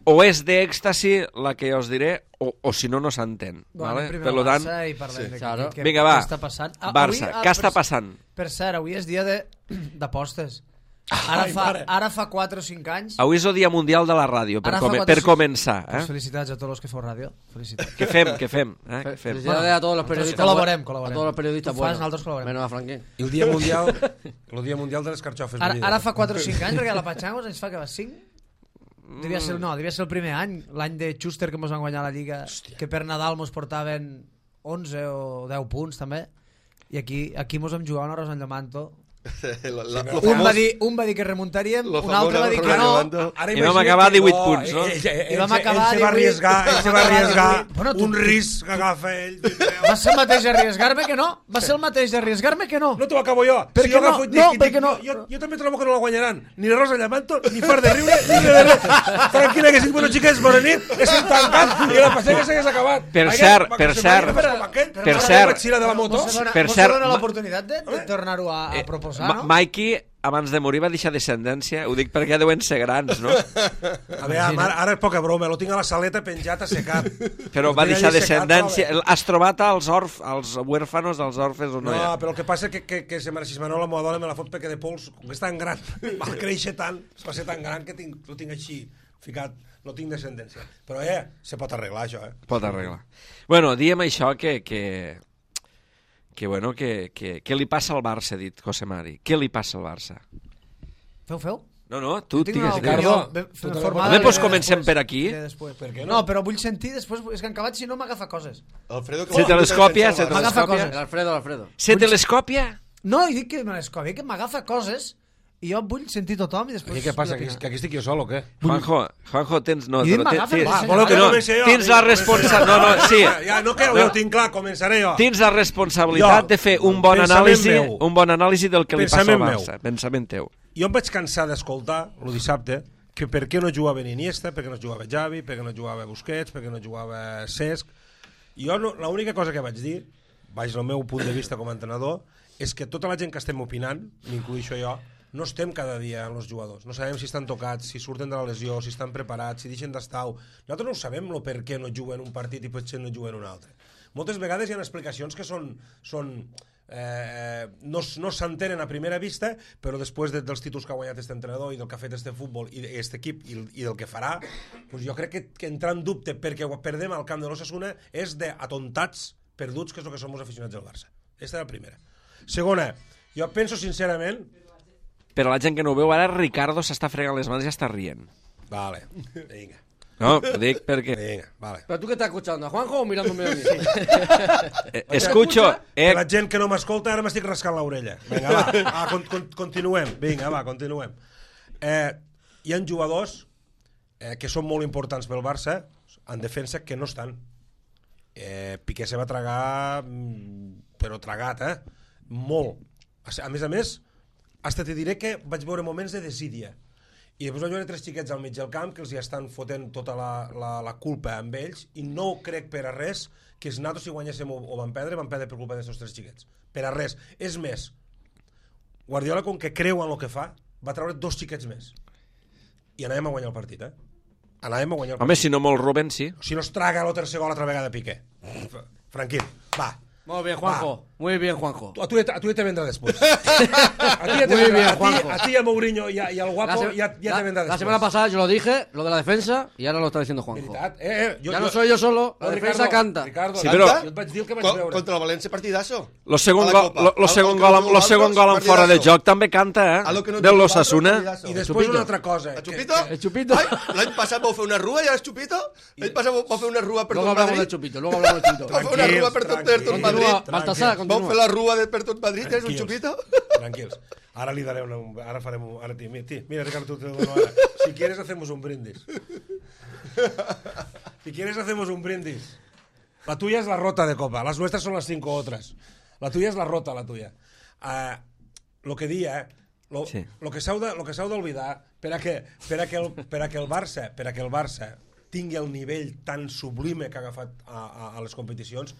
O és d'èxtasi la que us diré, o si no, no s'entén. Vale? Per lo tant, i parlem de claro. què vinga, va. està passant. Barça, què està passant? Per cert, avui és dia d'apostes. Ara fa 4 o 5 anys... Avui és el Dia Mundial de la Ràdio, per començar. Pues felicitats a tots els que feu ràdio. Felicitats. Què fem? Què fem? Felicidades a todos los periodistas. Col·laborem. A todos los periodistas Tu fas, buenos. nosaltres col·laborem. Menos a Franquín. I el dia mundial de les carxofes. Ara fa 4 o 5 anys, perquè la Pachangos ens fa que va 5? Devia ser el primer any, l'any de Schuster que ens van guanyar la Lliga, que per Nadal ens portaven 11 o 10 punts també, i aquí ens vam jugar una rosa en Llamanto. Un va dir que remuntaríem, un altre va dir que no, i vam acabar 18 punts, no? I vam acabar ell se va arriesgar un risc que agafa ell. Va ser el mateix arriesgar-me que no, va ser el mateix arriesgar-me que no. No t'ho acabo jo. Per què no? No, per què no? Jo també trobo que no la guanyaran. Ni Rosa Llamanto, ni Far de Riure, ni de res. Tranquil·la, que estic, bueno, xiques, bona nit, estem tancant i la passega s'hagués acabat. Per cert, Mos dona l'oportunitat de tornar-ho a proposar, no? Mikey, abans de morir, va deixar descendència. Ho dic perquè deuen ser grans, no? A veure, ara és poca broma, lo tinc a la saleta penjat a secar. Però va deixar descendència. Has trobat als huérfanos dels orfes o no? No, però el que passa és que se Manola, la meva dona, me la fot perquè de pols, com és tan gran, va créixer tant, va ser tan gran que lo tinc així ficat, no tinc descendència. Però se pot arreglar això, Pot arreglar. Bueno, diem això que li passa al Barça, ha dit José Mari. Què li passa al Barça? Feu? No, tu digues. Doncs comencem per aquí. Per què no, però vull sentir després, és que en acabat si no m'agafa coses. Se telescòpia? Alfredo. Se telescòpia? No, i dic que me l'escòpia, que m'agafa coses i jo vull sentir tothom i després... Què passa, que aquí estic jo sol o què? Juanjo, tens... I m'agafa... Tens la responsabilitat... Sí. Ja, no que ho tinc clar, començaré jo. Tens la responsabilitat de fer un bon anàlisi del que li passa al Barça. Pensament teu. Jo em vaig cansar d'escoltar, el dissabte, que per què no jugava Iniesta, per què no jugava Xavi, per què no jugava Busquets, per què no jugava Cesc. Jo l'única cosa que vaig dir, baix el meu punt de vista com a entrenador, és que tota la gent que estem opinant, m'incluïxo jo, no estem cada dia amb els jugadors, no sabem si estan tocats, si surten de la lesió, si estan preparats, si deixen d'estar. Nosaltres no sabem per què no juguen un partit i potser no juguen un altre. Moltes vegades hi ha explicacions que no s'entenen a primera vista, però després dels títols que ha guanyat aquest entrenador i del que ha fet este futbol i aquest equip i del que farà, doncs jo crec que entrar en dubte perquè perdem al camp de l'Osasuna és d'atontats perduts, que és el que som els aficionats del Barça. Aquesta era la primera. Segona, jo penso sincerament... Per a la gent que no ho veu, ara Ricardo s'està fregant les mans i ja està rient. Vale, vinga. No, ho dic perquè... Venga, vale. ¿Pero tú qué estás escuchando? ¿A Juanjo o mirándome a mí? Escucho... Que la gent que no m'escolta ara m'estic rascant l'orella. Vinga, va, continuem. Vinga, va, continuem. Hi ha jugadors que són molt importants pel Barça en defensa que no estan. Piqué se va tragar, però tragat, molt. A més, hasta te diré que vaig veure moments de desídia. I després vaig veure 3 xiquets al mig del camp que els hi estan fotent tota la culpa amb ells, i no crec per a res que nosaltres si guanyéssim o vam perdre per culpa d'aquests 3 xiquets. Per a res. És més, Guardiola, com que creu en el que fa, va treure 2 xiquets més. I anàvem a guanyar el partit, Anàvem a guanyar el partit. Home, si no molt Rubén, sí. Si no es traga el tercer gol l'altra vegada Piqué. Tranquil, va. Muy bien, Juanjo. Muy bien, Juanjo. A tu ya te vendrá después. A ti, a Mourinho y al guapo ya te vendrá después. La semana pasada yo lo dije, lo de la defensa, y ahora lo está diciendo Juanjo. Ya no soy yo solo, la defensa canta. Ricardo, sí, però... jo et vaig dir el que vaig veure. Contra el València, partidazo. Lo segon gol en fora de joc també canta, de l'Osasuna. I després una altra cosa. El Chupito? El Chupito. L'any passat vau fer una rua i ara és Chupito? L'any passat vau fer una rua per tot Madrid? Luego hablamos del Chupito. Vau fer una rua per tot Madrid? Baltasar, Vau fer la rua per tot Madrid, és un Chupito? Tranquils. Ara li daré ara farem un... Mira, Ricardo, te lo dono ahora. Si quieres hacemos un brindis. Si quieres hacemos un brindis. La tuya es la rota de copa. Las nuestras son las 5 otras. La tuya es la rota, la tuya. Lo que dia, lo que s'hau d'oblidar per a que el Barça tingui el nivell tan sublime que ha agafat a les competicions,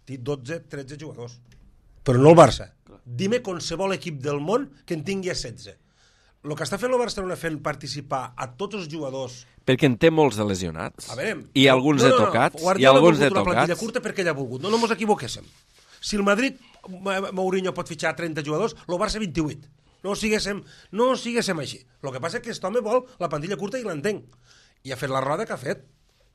té 12-13 jugadors. Però no el Barça. Dime qualsevol equip del món que en tingui 16. El que està fent el Barcelona fent participar a tots els jugadors... Perquè en té molts de lesionats. A veure, I alguns de tocats. I alguns de tocats. Una plantilla curta perquè ell ha volgut. No mos equivoquéssim. Si el Madrid, Mourinho pot fitxar 30 jugadors, el Barça 28. No siguéssim així. El que passa és que aquest home vol la plantilla curta i l'entenc. I ha fet la roda que ha fet.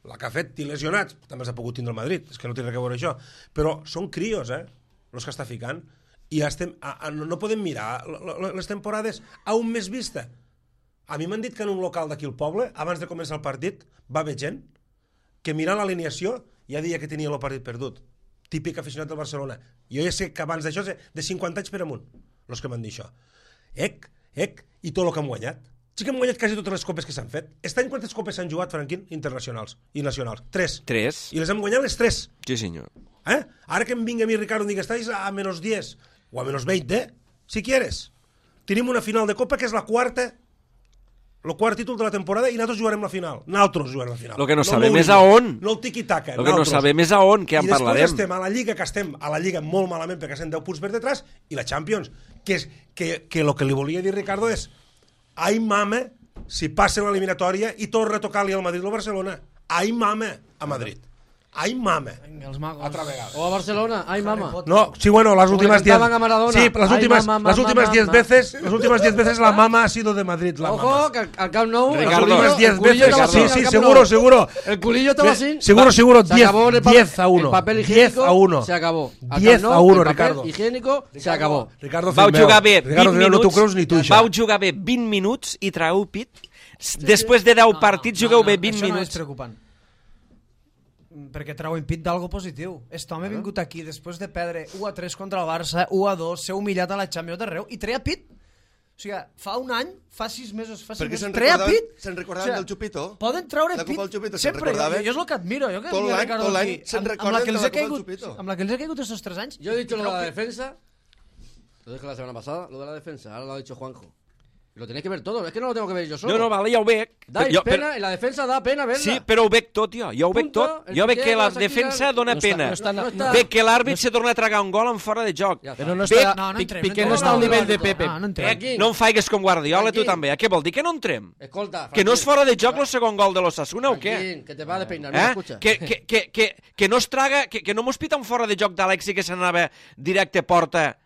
La que ha fet, i lesionats. També s'ha pogut tindre el Madrid. És que no té res a veure això. Però són crios, els que està ficant. I no podem mirar les temporades a un mes vista. A mi m'han dit que en un local d'aquí al poble, abans de començar el partit, va haver gent que mirant l'alineació ja deia que tenia el partit perdut. Típic aficionat del Barcelona. Jo ja sé que abans d'això és de 50 anys per amunt, els que m'han dit això. I tot el que han guanyat. Sí que hem guanyat quasi totes les copes que s'han fet. Aquest any quantes copes s'han jugat, Franquín, internacionals i nacionals? 3. I les hem guanyat les 3. Sí, senyor. Ara que em vinga a mi, Ricardo, em digui, estáis a menos 10 o a menos 20, si quieres. Tenim una final de Copa que és la quarta, el quart títol de la temporada, i nosaltres jugarem la final. Nosaltres jugarem la final. Lo que no sabem és a on. No el tiqui-taca. Lo que no sabem és a on, que en parlarem. I després estem a la Lliga, que estem a la Lliga molt malament perquè estem 10 punts per detrás, i la Champions, que lo que li volia dir Ricardo és ai mame si passa l'eliminatòria i torna a tocar-li al Madrid o al Barcelona. Ai mame a Madrid. Ai mame. Venga, els magos. Altra vegada. O a Barcelona, ai mama. No, sí, bueno, las últimas 10. Sí, las últimas 10 veces la mama ha sido de Madrid, la Ojo, mama. que al Camp Nou, Ricardo, las últimas 10 veces. Sí, seguro. El culillo estaba así. Seguro, 10 a 1. El papel higiénico 10 a 1. se acabó. 10 a 1, Ricardo. El papel higiénico se acabó. Ricardo, vau jugar bé 20 minuts. No t'ho creus ni tu, això. Vau jugar bé 20 minuts i traeu pit. Després de 10 partits jugueu bé 20 minuts. Això no és minuts. preocupant. Perquè treu impit d'algo positiu. Aquest home ha vingut aquí després de perdre 1-3 contra el Barça, 1-2, ser humillat a la Champions d'arreu i treia pit. O sigui, fa un any, fa 6 mesos, treia pit. Se'n recordaven del Chupito? Poden treure la pit. Copa del Chupito, sempre. Jo és el que admiro. Tot l'any se'n recorden de la Copa del Chupito. Amb la que els ha caigut estos 3 anys. Yo he dicho lo de la defensa, lo dije la semana pasada, lo de la defensa, ahora lo ha dicho Juanjo. Y lo tenéis que ver todo, es que no lo tengo que ver yo solo. No, vale, ja ho veig. Pena, en la defensa da pena verla. Sí, però ho veig tot jo. Jo ho veig tot. Jo veig que la defensa dona pena. Veig que l'àrbit se torna a tragar un gol en fora de joc. Però no està... Piqué no està al nivell de Pepe. No em faigues com Guardiola, tu també. Què vol dir? Que no entrem? Escolta, Que no és fora de joc el segon gol de l'Osasuna o què? Que te va de peinar, no m'escucha. Que no es traga... Que no mos pita un fora de joc d'Alexi que s'anava directe porta...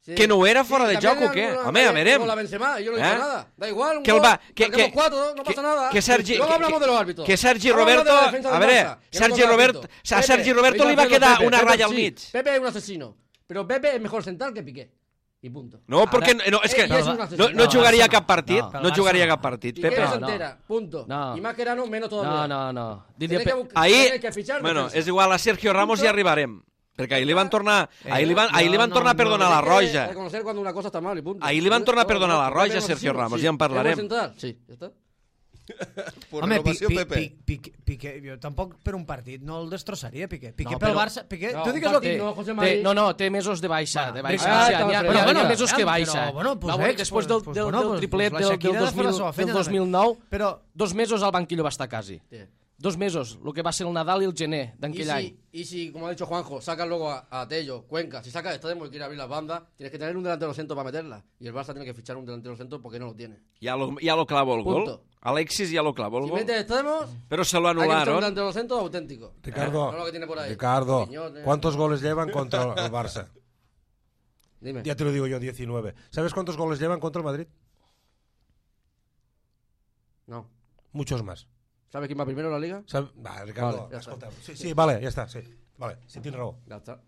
Sí. Que no era fuera de también joc o què? alguna Home, a vez verem. con la Benzema, y yo no he dicho nada. Da igual, un Que el gol, va, marquemos 4, no pasa nada. Que Sergi, Luego hablamos de los árbitros. que Sergi Vamos a hablar Roberto, de la defensa del a veure, Barça, que no Sergi contra el Roberto, árbitro. a Sergi Roberto li va quedar una raya al sí. mig. Pepe es un asesino, pero Pepe es mejor central que Piqué. I punto. No, perquè no, és que Ell és un asesino. no jugaria cap partit, No. no jugaria cap partit, Piqué Pepe. se No. entera, punto. No. Y Mascherano menos todavía. No. Tiene Diria que, Ahir, tiene que fichar bueno, defensa. és igual, a Sergio Ramos ja arribarem. Perquè ahir li van tornar, ahir li van tornar a perdonar la Hay que roja. reconocer cuando una cosa está mal y punto. Ahir li van tornar a perdonar la Pepe roja a es un Sergio asesino, Ramos, sí. ja en parlarem. ¿Es central? Sí, ya está. Por Home, renovació, Pepe. Piqué, jo tampoc per un partit no el destrossaria, Piqué. Piqué No, pel però- Barça... Piqué, No, tu digues un el que... partit no, José Mari. té mesos de baixa. Bueno, De baixa. ah, O sigui, està n'hi ha fred. mesos que Però, baixa. bueno, pues Va, ex, després pues, del pues, triplet la del Shakira ha de fer la seva feina, 2009, Però 2 mesos al banquillo va estar quasi. Sí. 2 mesos, el que va ser el Nadal i el gener d'aquell any. Y si, como ha dicho Juanjo, sacas luego a Tello, Cuenca, si sacas Extremo y quiere abrir las bandas, tienes que tener un delantero centro para meterla. Y el Barça tiene que fichar un delantero centro porque no lo tiene. Ja lo clavó el gol. Punto. Alexis ja lo clavó el Si gol. metes extremos, Pero se lo hay que fichar un anularon. delantero centro auténtico. Ricardo, No lo que tiene por ahí. Ricardo, Quiñones. ¿cuántos goles llevan contra el Barça? Dime. Ya te lo digo yo, 19. ¿Sabes cuántos goles llevan contra el Madrid? No. Muchos más. ¿Sabes quién va primero en la liga? Va, Ricardo, Vale, ya está. escolta. Sí, vale, ya está, sí. Vale, sí, tienes raó. Ya está.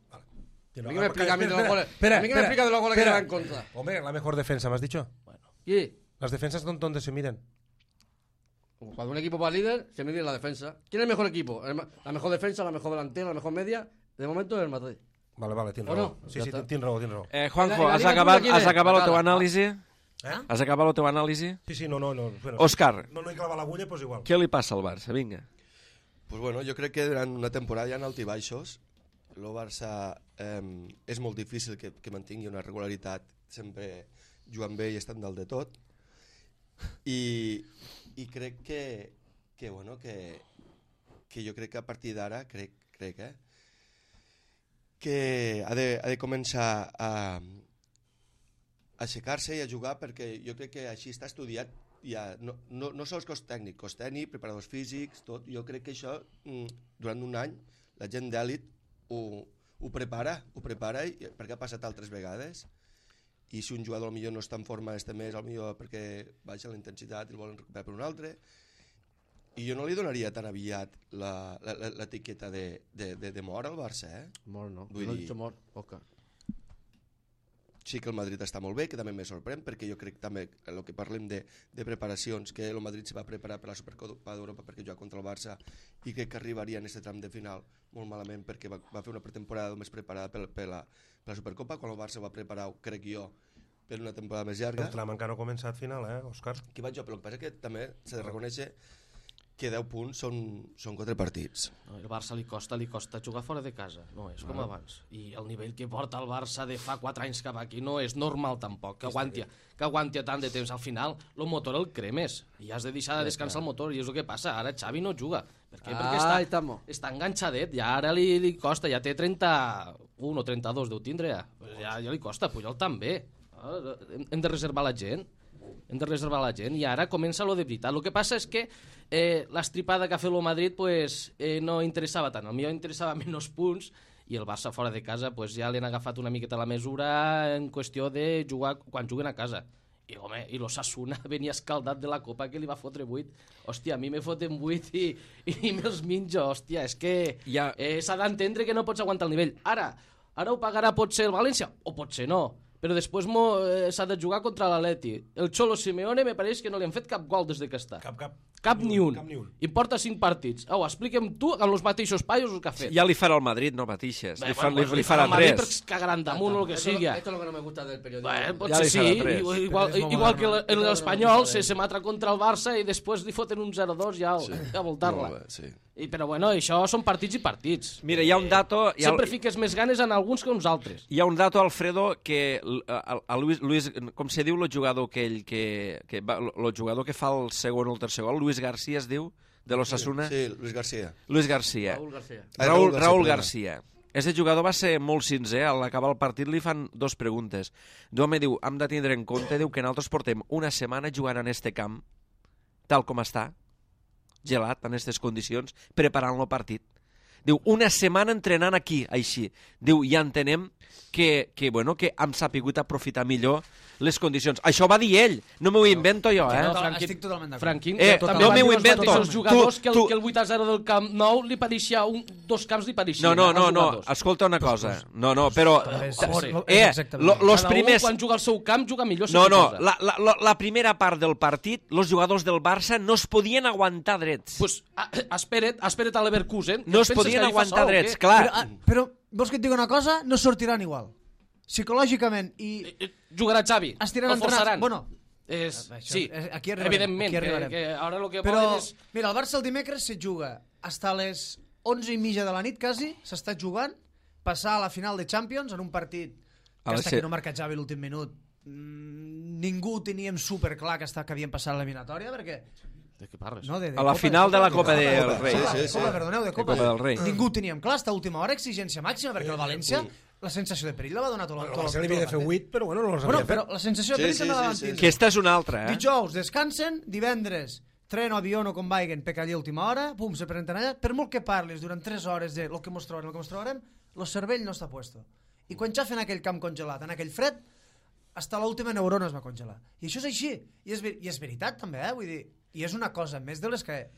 Tienes A mí raó. que me explica a mí de los Espera, goles. espera, A mí que me espera, explica de los goles que espera. lleva en contra. Hombre, la mejor defensa, ¿me has dicho? Y Las defensas, ¿dónde se miden? cuando un equipo va líder, se mide en la defensa. ¿Quién es el mejor equipo? La mejor defensa, la mejor delantera, la mejor media. De momento es el Madrid. Vale, tienes ¿O raó. no? Sí, Ya sí, está. tienes raó, tienes raó. Juanjo, En la has Liga acabat, tu quién has és? acabat el teu Bacala. anàlisi? ¿Eh? Has acabat el teu anàlisi? Sí, no. Bueno, Òscar, no he clavado l'agulla, pues igual. què li passa al Barça? Vinga. Pues bueno, jo crec que durant una temporada hi ha alts i baixos. El Barça és molt difícil que mantingui una regularitat sempre jugant bé i estant dalt de tot. I crec que bueno, que jo crec que a partir d'ara crec que ha de començar a aixecar-se i a jugar, perquè jo crec que així està estudiat ja, no sols cos tècnic, preparadors físics, tot. Jo crec que això durant un any la gent d'èlit ho prepara perquè ha passat altres vegades, i si un jugador millor no està en forma este mes, millor perquè baixa la intensitat i el volen recuperar per un altre, i jo no li donaria tan aviat l'etiqueta de mort al Barça, Mor, no. Vull No he dir- dicho Mor, Oscar. Sí que el Madrid està molt bé, que també me sorprèn, perquè jo crec també el que parlem de preparacions, que el Madrid se va preparar per la Supercopa d'Europa perquè jugar contra el Barça, i crec que arribaria en aquest tram de final molt malament, perquè va fer una pretemporada només preparada per la Supercopa, quan el Barça va preparar, crec jo, per una temporada més llarga. El tram encara no ha començat final, Òscar? Que vaig jo, però el que passa que també s'ha de reconèixer que 10 punts són 4 partits. No, el Barça li costa jugar fora de casa, no és com abans. I el nivell que porta el Barça de fa 4 anys cap aquí no és normal tampoc, que aguanti tant de temps. Al final, el motor el cremes i has de deixar de descansar el motor, i és el que passa. Ara Xavi no juga. Per què? Perquè està enganxadet, i ara li costa, ja té 31 o 32, deu tindre ja. Ja li costa, Puyol també. Hem de reservar la gent. I ara comença lo de veritat. El que passa és que l'estripada que ha fet el Madrid no interessava tant. Potser interessava menys punts, i el Barça fora de casa ja li han agafat una miqueta la mesura en qüestió de jugar quan juguen a casa. I home, i l'Osasuna venia escaldat de la Copa, que li va fotre 8. Hòstia, a mi me foten 8 i me'ls minjo. Hòstia, és que s'ha d'entendre que no pots aguantar el nivell. Ara ho pagarà potser el València, o potser no, però després s'ha de jugar contra l'Atleti. El Cholo Simeone me pareix que no li han fet cap gol des que està. Cap ni un. I porta 5 partits. Explica'm tu, amb els mateixos paios, el que ha fet. Ja li farà el Madrid, no patixes. Li farà el Madrid 3. perquè cagaran damunt o el que sigui. Esto es lo que no me gusta del periodismo. Potser li farà sí, 3. igual que l'Espanyol se matra contra el Barça i després li foten un 0-2 ja a voltar-la. Sí. Però bueno, això són partits i partits. Mira, hi ha un dato... Sempre fiques més ganes en alguns que uns altres. Hi ha un dato, Alfredo, que a Luis, com se diu el jugador el jugador que fa el segon o el tercer gol, Luis García es diu, de l'Osasuna? Sí, Luis García. Raúl García. Aquest jugador va ser molt sincer, a l'acabar el partit li fan 2 preguntes. Home, diu, hem de tindre en compte, diu, que nosaltres portem una setmana jugant en este camp, tal com està, gelat, en aquestes condicions, preparant el partit. Diu, una setmana entrenant aquí, així. Diu, ja entenem que hem sapigut aprofitar millor les condicions. Això va dir ell, no m'ho invento jo, No, Estic totalment d'acord. Franquín, no m'ho invento. Els jugadors que el 8-0 del Camp Nou li pareixia dos camps li pareixien. No, escolta una cosa. No, però... Los primers... Quan juga al seu camp, juga millor. No, la primera part del partit, els jugadors del Barça no es podien aguantar drets. Pues espera't a l'Leverkusen. No es podien aguantar drets, clar. Però vols que et digui una cosa? No sortiran igual. Psicològicament i... Jugarà Xavi. Estiran entrenats. Bueno, sí, aquí arribarem. evidentment. Que ara el que però, volen és... mira, el Barça el dimecres se juga fins a les 11:30 de la nit, quasi, s'està jugant, passar a la final de Champions en un partit que hasta que no marca Xavi l'últim minut ningú teníem superclar que havíem passat l'eliminatòria, perquè... De què parles? No, a la final de la Copa del Rei. De Copa del Rei. Ningú teníem clar, hasta última hora, exigència màxima, perquè el València, la sensació de perill la va donar tot el se li havia de fer 8, però bueno, no els havia fet. Però la sensació de perill també la van tindre. Aquesta és una altra, Dijous descansen, divendres tren o avió no com vaiguen, peca allà a última hora, pum, se presenten allà. Per molt que parles durant 3 hores de lo que mos trobarem, el cervell no està puesto. I quan ja fem aquell camp congelat, en aquell fred, hasta l'última neurona es va congelar. I això és així. I és veritat també, vull dir, i és una cosa més de les que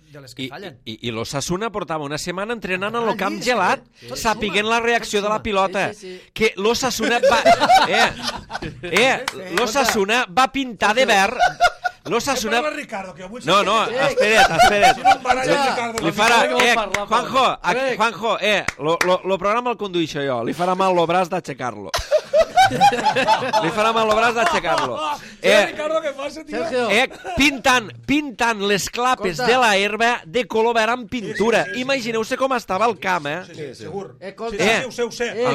fallen. I l'Osasuna portava una setmana entrenant en el camp gelat, sapiguent la reacció de la pilota. Que l'Osasuna l'Osasuna va pintar de verd. L'Osasuna... No, espera't. Li farà... Juanjo, lo programa el conduixo jo. Li farà mal el braç d'aixecar-lo. Li farà mal el braç d'aixecar-lo. Pintant les clapes de la herba de color verd amb pintura. Imagineu-se com estava el camp, Sí, segur. Ho sé. A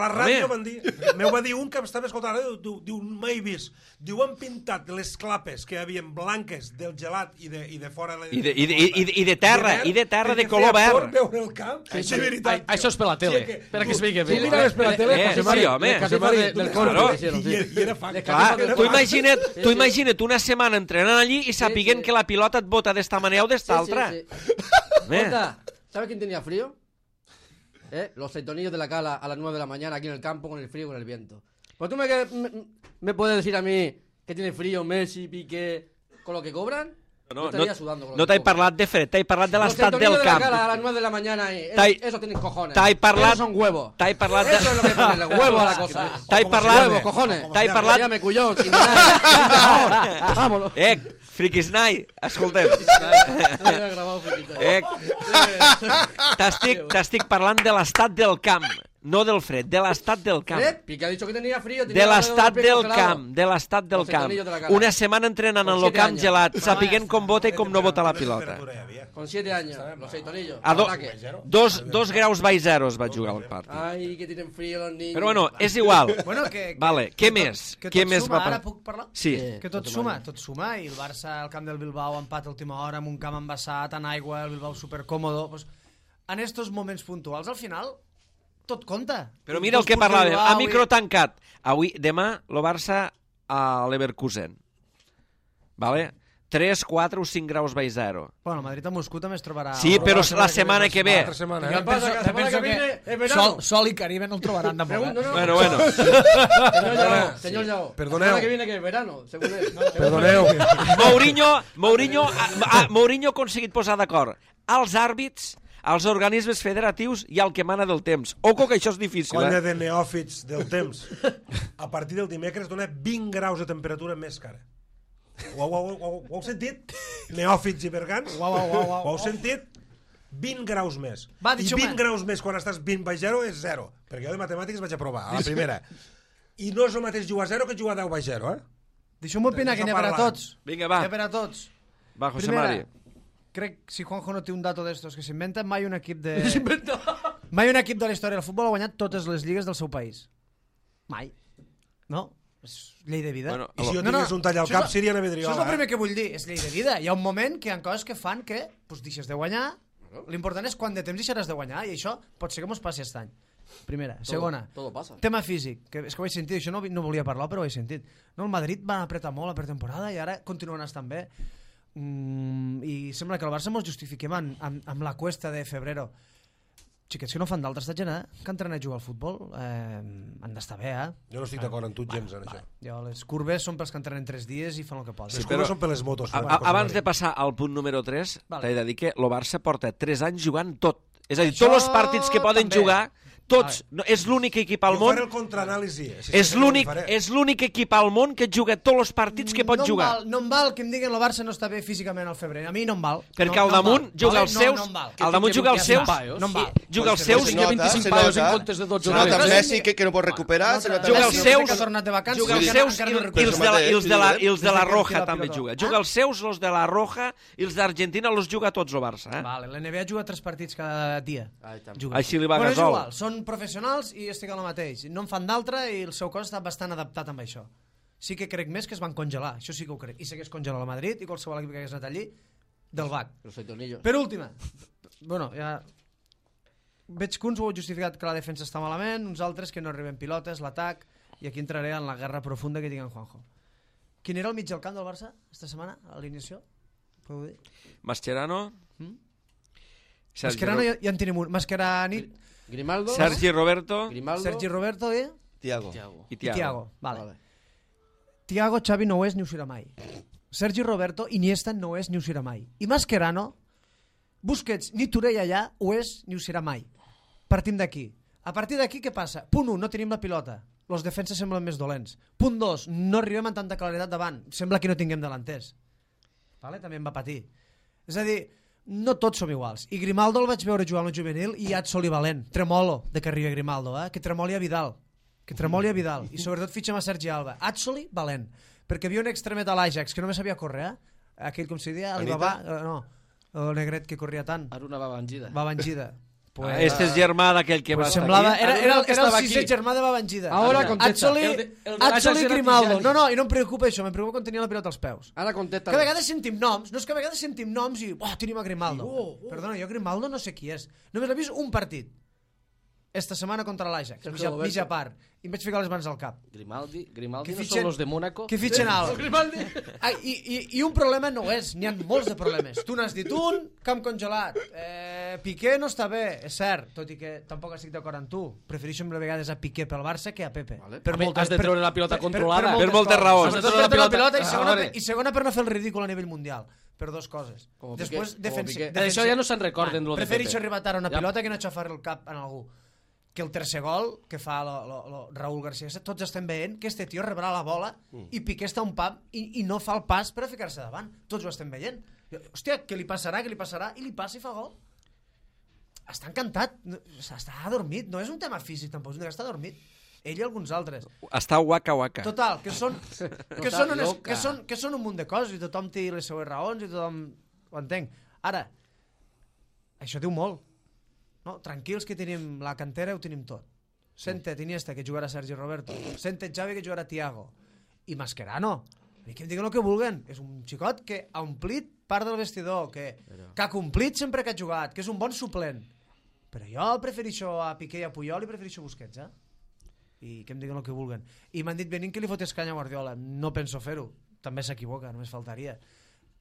la ràdio m'ho va dir un que estava escoltant la ràdio, diu, mai vist. Diu, han pintat les clapes que hi havia blanques del gelat i de fora... I de terra, de color verd. Veure el camp. Això és per la tele, per a que es vegi bé. Per la tele, sí, home. I era fact. Tu imagina't una setmana entrenant allí i sapiguent que la pilota et bota d'esta manera o d'esta altra. ¿Sabes quién tenía frío? Los setonillos de la Cala a las 9 de la mañana aquí en el campo con el frío y con el viento. Pues tú me puedes decir a mí que tiene frío Messi, Piqué, con lo que cobran. No t'he parlat de fred, t'he parlat de l'estat del camp. Los setonillos de la Cala a las 9 de la mañana, eso tienen cojones. Esos son huevos. Eso es lo que ponen, huevo a la cosa. Huevos, cojones. Llame cuyón, sin vámonos. Friquisnai, escoltem. T'estic parlant de l'estat del camp, no del fred, de l'estat del camp. Piqué ha dicho que tenía frío. De l'estat del camp, Una setmana entrenant en el camp gelat, sapiguent com vota i com no vota la pilota. Con 7 años, los setonillos. A 2 graus baix zero es va jugar el partit. Ai, que tienen frío los niños. Però bueno, és igual. Vale, què més? Que tot suma, ara puc parlar? Sí. Que tot suma, i el Barça al camp del Bilbao empat a última hora amb un camp embassat en aigua, el Bilbao supercòmodo. En estos moments puntuals, al final, tot compta. Però mira el que parlàvem, a micro tancat. Demà, el Barça a Leverkusen. Vale? 3, 4 o 5 graus baix zero. Bueno, Madrid a Moscú també es trobarà... Sí, però la setmana que ve. Penso que Sol i Caribe no el trobaran de molt. Bueno. Señor Yao. Perdoneu. La semana que viene que es verano, según él. Perdoneu. Mourinho ha aconseguit posar d'acord als àrbits, als organismes federatius i al que mana del temps. Oco que això és difícil, Conya de neòfits del temps. A partir del dimecres dona 20 graus de temperatura més cara. Ho heu sentit? Neòfits i bergants? Ho heu sentit? 20 graus més. I 20 graus més quan estàs 20 baix 0 és 0. Perquè jo de matemàtiques vaig aprovar, a la primera. I no és el mateix jugar a 0 que jugar a 10 baix 0, Deixeu-me opinar que n'hi ha per a tots. Vinga, va. N'hi ha per a tots. Va, José Mari. Crec, si Juanjo no té un dato d'estos que s'inventa, mai un equip de la història del futbol ha guanyat totes les lligues del seu país. Mai. No? És llei de vida. I si jo tingués un tall al cap, seria una vidriola. Això és el primer que vull dir, és llei de vida. Hi ha un moment que hi ha coses que fan que deixes de guanyar. L'important és quant de temps deixaràs de guanyar, i això pot ser que mos passi aquest any. Primera. Segona, todo pasa. Tema físic, que és que ho he sentit, això no volia parlar, però ho he sentit. El Madrid va apretar molt la pretemporada i ara continuen estant bé. I sembla que el Barça mos justifiquem amb la cuesta de febrero. xiquets que no fan d'altres estat general, que entrenen a jugar al futbol, han d'estar bé, Jo no estic d'acord amb tu gens en això. Jo, les curves són pels que entrenen 3 dies i fan el que poden. Les curves són per les motos. Abans de passar al punt número 3, Vale. t'he de dir que el Barça porta 3 anys jugant tot. És a dir, tots els partits que poden també. jugar, tots. No, és l'únic equip al Jo món... faré el contraanàlisi. És l'únic equip al món que juga tots els partits que pot jugar. No em val que em diguin el Barça no està bé físicament al febrer. A mi no em val. Perquè al damunt juga els seus... Al damunt juga els seus... No em val. Juga els seus... Tinc 25 paios en comptes de 12 Se nota jugadors. Messi que no pot recuperar, se nota Juga els Messi. seus... Que ha tornat de vacances, Juga els encara- seus encara no i recupera. els de la Roja la també pilota. juga. Juga els seus, els de la Roja i els d'Argentina els juga tots el Barça. Vale, l'NBA juga 3 partits cada dia. Juga. Així li va Bueno, és Gasol. igual, són professionals i estic al mateix. No en fan d'altre i el seu cos està bastant adaptat amb això. Sí que crec més que es van congelar, això sí que ho crec. I segueix congelant el Madrid i qualsevol equip que hagués anat allí, del BAC. Los setonillos. Per última, bueno, ja... Veig que uns ho heu justificat que la defensa està malament, uns altres que no arriben pilotes, l'atac, i aquí entraré en la guerra profunda que tinc en Juanjo. Quin era el mig del camp del Barça esta setmana, a l'inició? Podeu dir? Mascherano... Mascherano ja en tenim un. Mascherano, Grimaldo. Sergi Roberto Grimaldo. Sergi Roberto i Tiago. i Thiago. Thiago. Vale. Thiago, Xavi no ho és ni ho serà mai. Sergi Roberto, Iniesta no ho és ni ho serà mai. I Mascherano, Busquets ni Torell allà ho és ni ho serà mai. Partim d'aquí. A partir d'aquí què passa? Punt 1, no tenim la pilota. Els defenses semblen més dolents. Punt 2, no arribem amb tanta claredat davant. Sembla que no tinguem delanters. Vale? També em va patir. És a dir, no tots som iguals. I Grimaldo el vaig veure jugar amb el juvenil i Atzol i Valent. Tremolo de que arribi Grimaldo, que tremoli a Vidal. Que tremoli a Vidal. I sobretot fitxem a Sergi Alba. Atzol i Valent. Perquè havia un extremet a l'Ajax que només sabia córrer, aquell com se diria, Alibaba, no, el negret que corria tant. Aruna Babangida. Babangida. Este és germà d'aquell que va Pues estar semblava, aquí. era el estava sisè aquí. germà de Babangida. Ahora contesta. El de l'Ajax Atzol i era Grimaldo. Tijani. No, no, i no em preocupa això, em preocupa quan tenia la pilota als peus. Ara contesta. Que a vegades sentim noms, no és que a vegades sentim noms i tenim a Grimaldo. Perdona, jo Grimaldo no sé qui és. Només l'he vist un partit. Esta setmana contra l'Ajax, Sergio Roberto. mitja part. I em vaig ficar les mans al cap. Grimaldi Que no fitxen- són los de Mónaco. Que fitxen alt. I un problema no és, n'hi ha molts de problemes. Tu n'has dit un, camp congelat. Piqué no està bé, és cert, tot i que tampoc estic d'acord amb tu. Prefereixo a vegades a Piqué pel Barça que a Pepe. Vale. Has de treure la pilota controlada. Per moltes raons. Has de Sobretot treure per la pilota veure. i segona per no fer el ridícul a nivell mundial. Per dos coses. Com Després, Piqué, com Piqué. D'això ja no se'n recorden, lo de Prefereixo Pepe. arribar tard a una Ja. pilota que no xafar el cap en algú. Que el tercer gol que fa Raúl García, tots estem veient que este tio rebrà la bola i Piqué està a un pam i no fa el pas per a ficar-se davant. Tots ho estem veient. Hòstia, què li passarà? I li passa i fa gol. Està encantat. Està adormit. No és un tema físic, tampoc. És un tema que està adormit. Ell i alguns altres. Està waka. Total, que són un munt de coses i tothom té les seues raons i tothom ho entenc. Ara, això diu molt. No? Tranquils que tenim la cantera, ho tenim tot. Sente Iniesta, que jugarà Sergi Roberto. Sente Xavi, que jugarà Thiago. I Mascherano. A mi que em diguen el que vulguen. És un xicot que ha omplit part del vestidor, que ha complit sempre que ha jugat, que és un bon suplent. Però jo prefereixo a Piqué i a Puyol i prefereixo Busquets, I que em diguen el que vulguen. I m'han dit venint que li fotés canya a Guardiola. No penso fer-ho. També s'equivoca, només faltaria.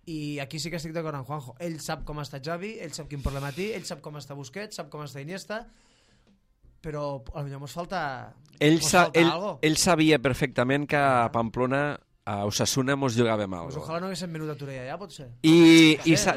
I aquí sí que estic d'acord amb Juanjo. Ell sap com està Xavi, ell sap quin problema té, ell sap com està Busquets, sap com està Iniesta, però potser mos falta algo. Ell sabia perfectament que a Pamplona, a Osasuna, mos jugàvem Pues algo. ojalà no haguéssim venut a Torella ja, potser.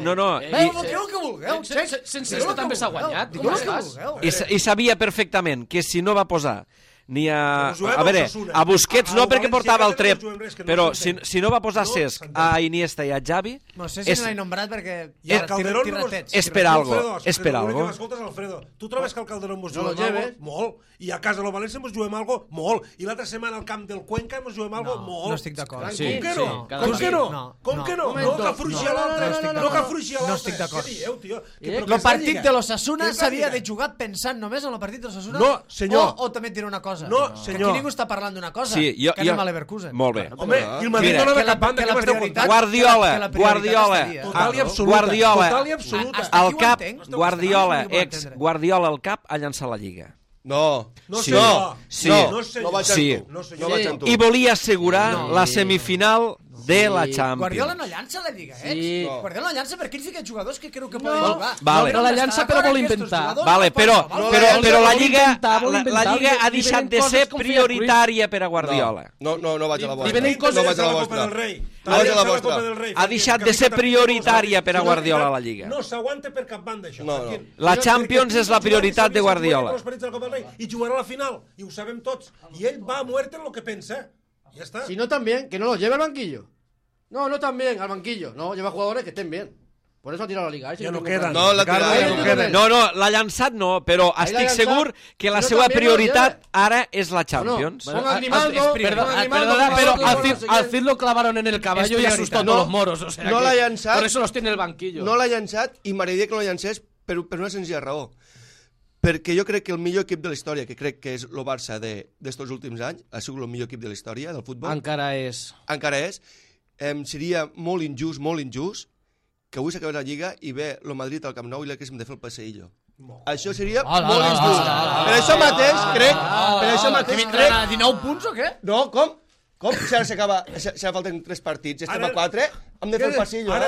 No, Digueu el que vulgueu, Sense això també s'ha guanyat. Digueu el que Com vulgueu. i sabia perfectament que si no va posar ni a... Però juguem A veure, Osasuna. a Busquets no, Al perquè València portava el no trep, juguem res, que no però s'entén. si no va posar No Cesc s'entén. a Iniesta i a Xavi, No sé si és- se l'he nombrat perquè... I el Calderón no mos... És per algo, Alfredo, és per l'únic algo. que m'escoltes, Alfredo. Tu trobes que el Calderón mos No lo juguem algo? lleves. Molt. I a casa del València mos juguem algo? Molt. I l'altra setmana al camp del Cuenca mos juguem algo? Molt. no estic d'acord. Sí, Com que sí, no? cada Com partit. que no? No, Com no. que no? Momento. No que afluixi a No l'altre. estic No d'acord. que afluixi a l'altre. No estic d'acord. Què dieu, tio? El partit de l'Osasuna s'havia de jugar pensant només en el partit de l'Osasuna? No, senyor. O també et diré una cosa. No, Que senyor. aquí ningú està parlant d'una cosa. Sí, que anem a l'Everkusen. Molt bé. Home, i el Madrid Mira, no que anava la- cap banda, que que la m'esteu prioritat- contant. Guardiola, que la prioritat estaria. Total i absoluta. Guardiola. Total i absoluta. Hasta Al aquí ho cap, entenc. Guardiola, Hasta aquí ho ex entendre. Guardiola al cap, ha llançat la Lliga. No. No, Sí. senyor. Sí. No, senyor. No vaig Sí. amb tu. No, senyor. No vaig amb tu. I volia assegurar la semifinal de la Champions. Guardiola no llança la Lliga, Sí. No. Guardiola no llança perquè ell fica jugadors que creu que poden No. jugar. Vale. No la llança, però vol inventar. Vale, però la Lliga vol ha inventar, deixat li de venen ser coses com feia prioritària per a Guardiola. No vaig a la Li vostra. venen coses- No vaig a la La Copa del vostra. Rei. No vaig a la vostra. Ha deixat de ser prioritària per a Guardiola la Lliga. No s'aguanta per cap banda, això. No. La Champions és la prioritat de Guardiola. I jugarà a la final, i ho sabem tots. I ell va a muerte en lo que pensa. Ja està. Si no tan bien, que no los lleve al banquillo. No tan bien al banquillo. No, lleva jugadores que estén bien. Por eso ha tirado la liga. Ja no queden. No, la Ricardo, tirada ja no queden. No, l'ha llançat no, però Ahí l'ha estic llançat, segur que la però seva també no prioritat lleva. ara és la Champions. Bueno, pongan Grimaldo, Perdona, Grimaldo, pero Grimaldo, al no sé Cid quién. lo clavaron en el caballo y asustó a todos los moros. O sea No que l'ha llançat. Por eso los tiene en el banquillo. No l'ha llançat i m'agradaria que no la llancés per una senzilla raó. Perquè jo crec que el millor equip de la història, que crec que és el Barça d'estos últims anys, ha sigut el millor equip de la història del futbol, Encara és. encara és, seria molt injust, que avui s'acaba la Lliga i ve el Madrid al Camp Nou i l'haguéssim de fer el passeillo. Això seria molt injust. Per això mateix crec... A 19 punts o què? No, com? Si ara s'acaba, si ara falten 3 partits, estem a 4, hem de fer el passillo, eh?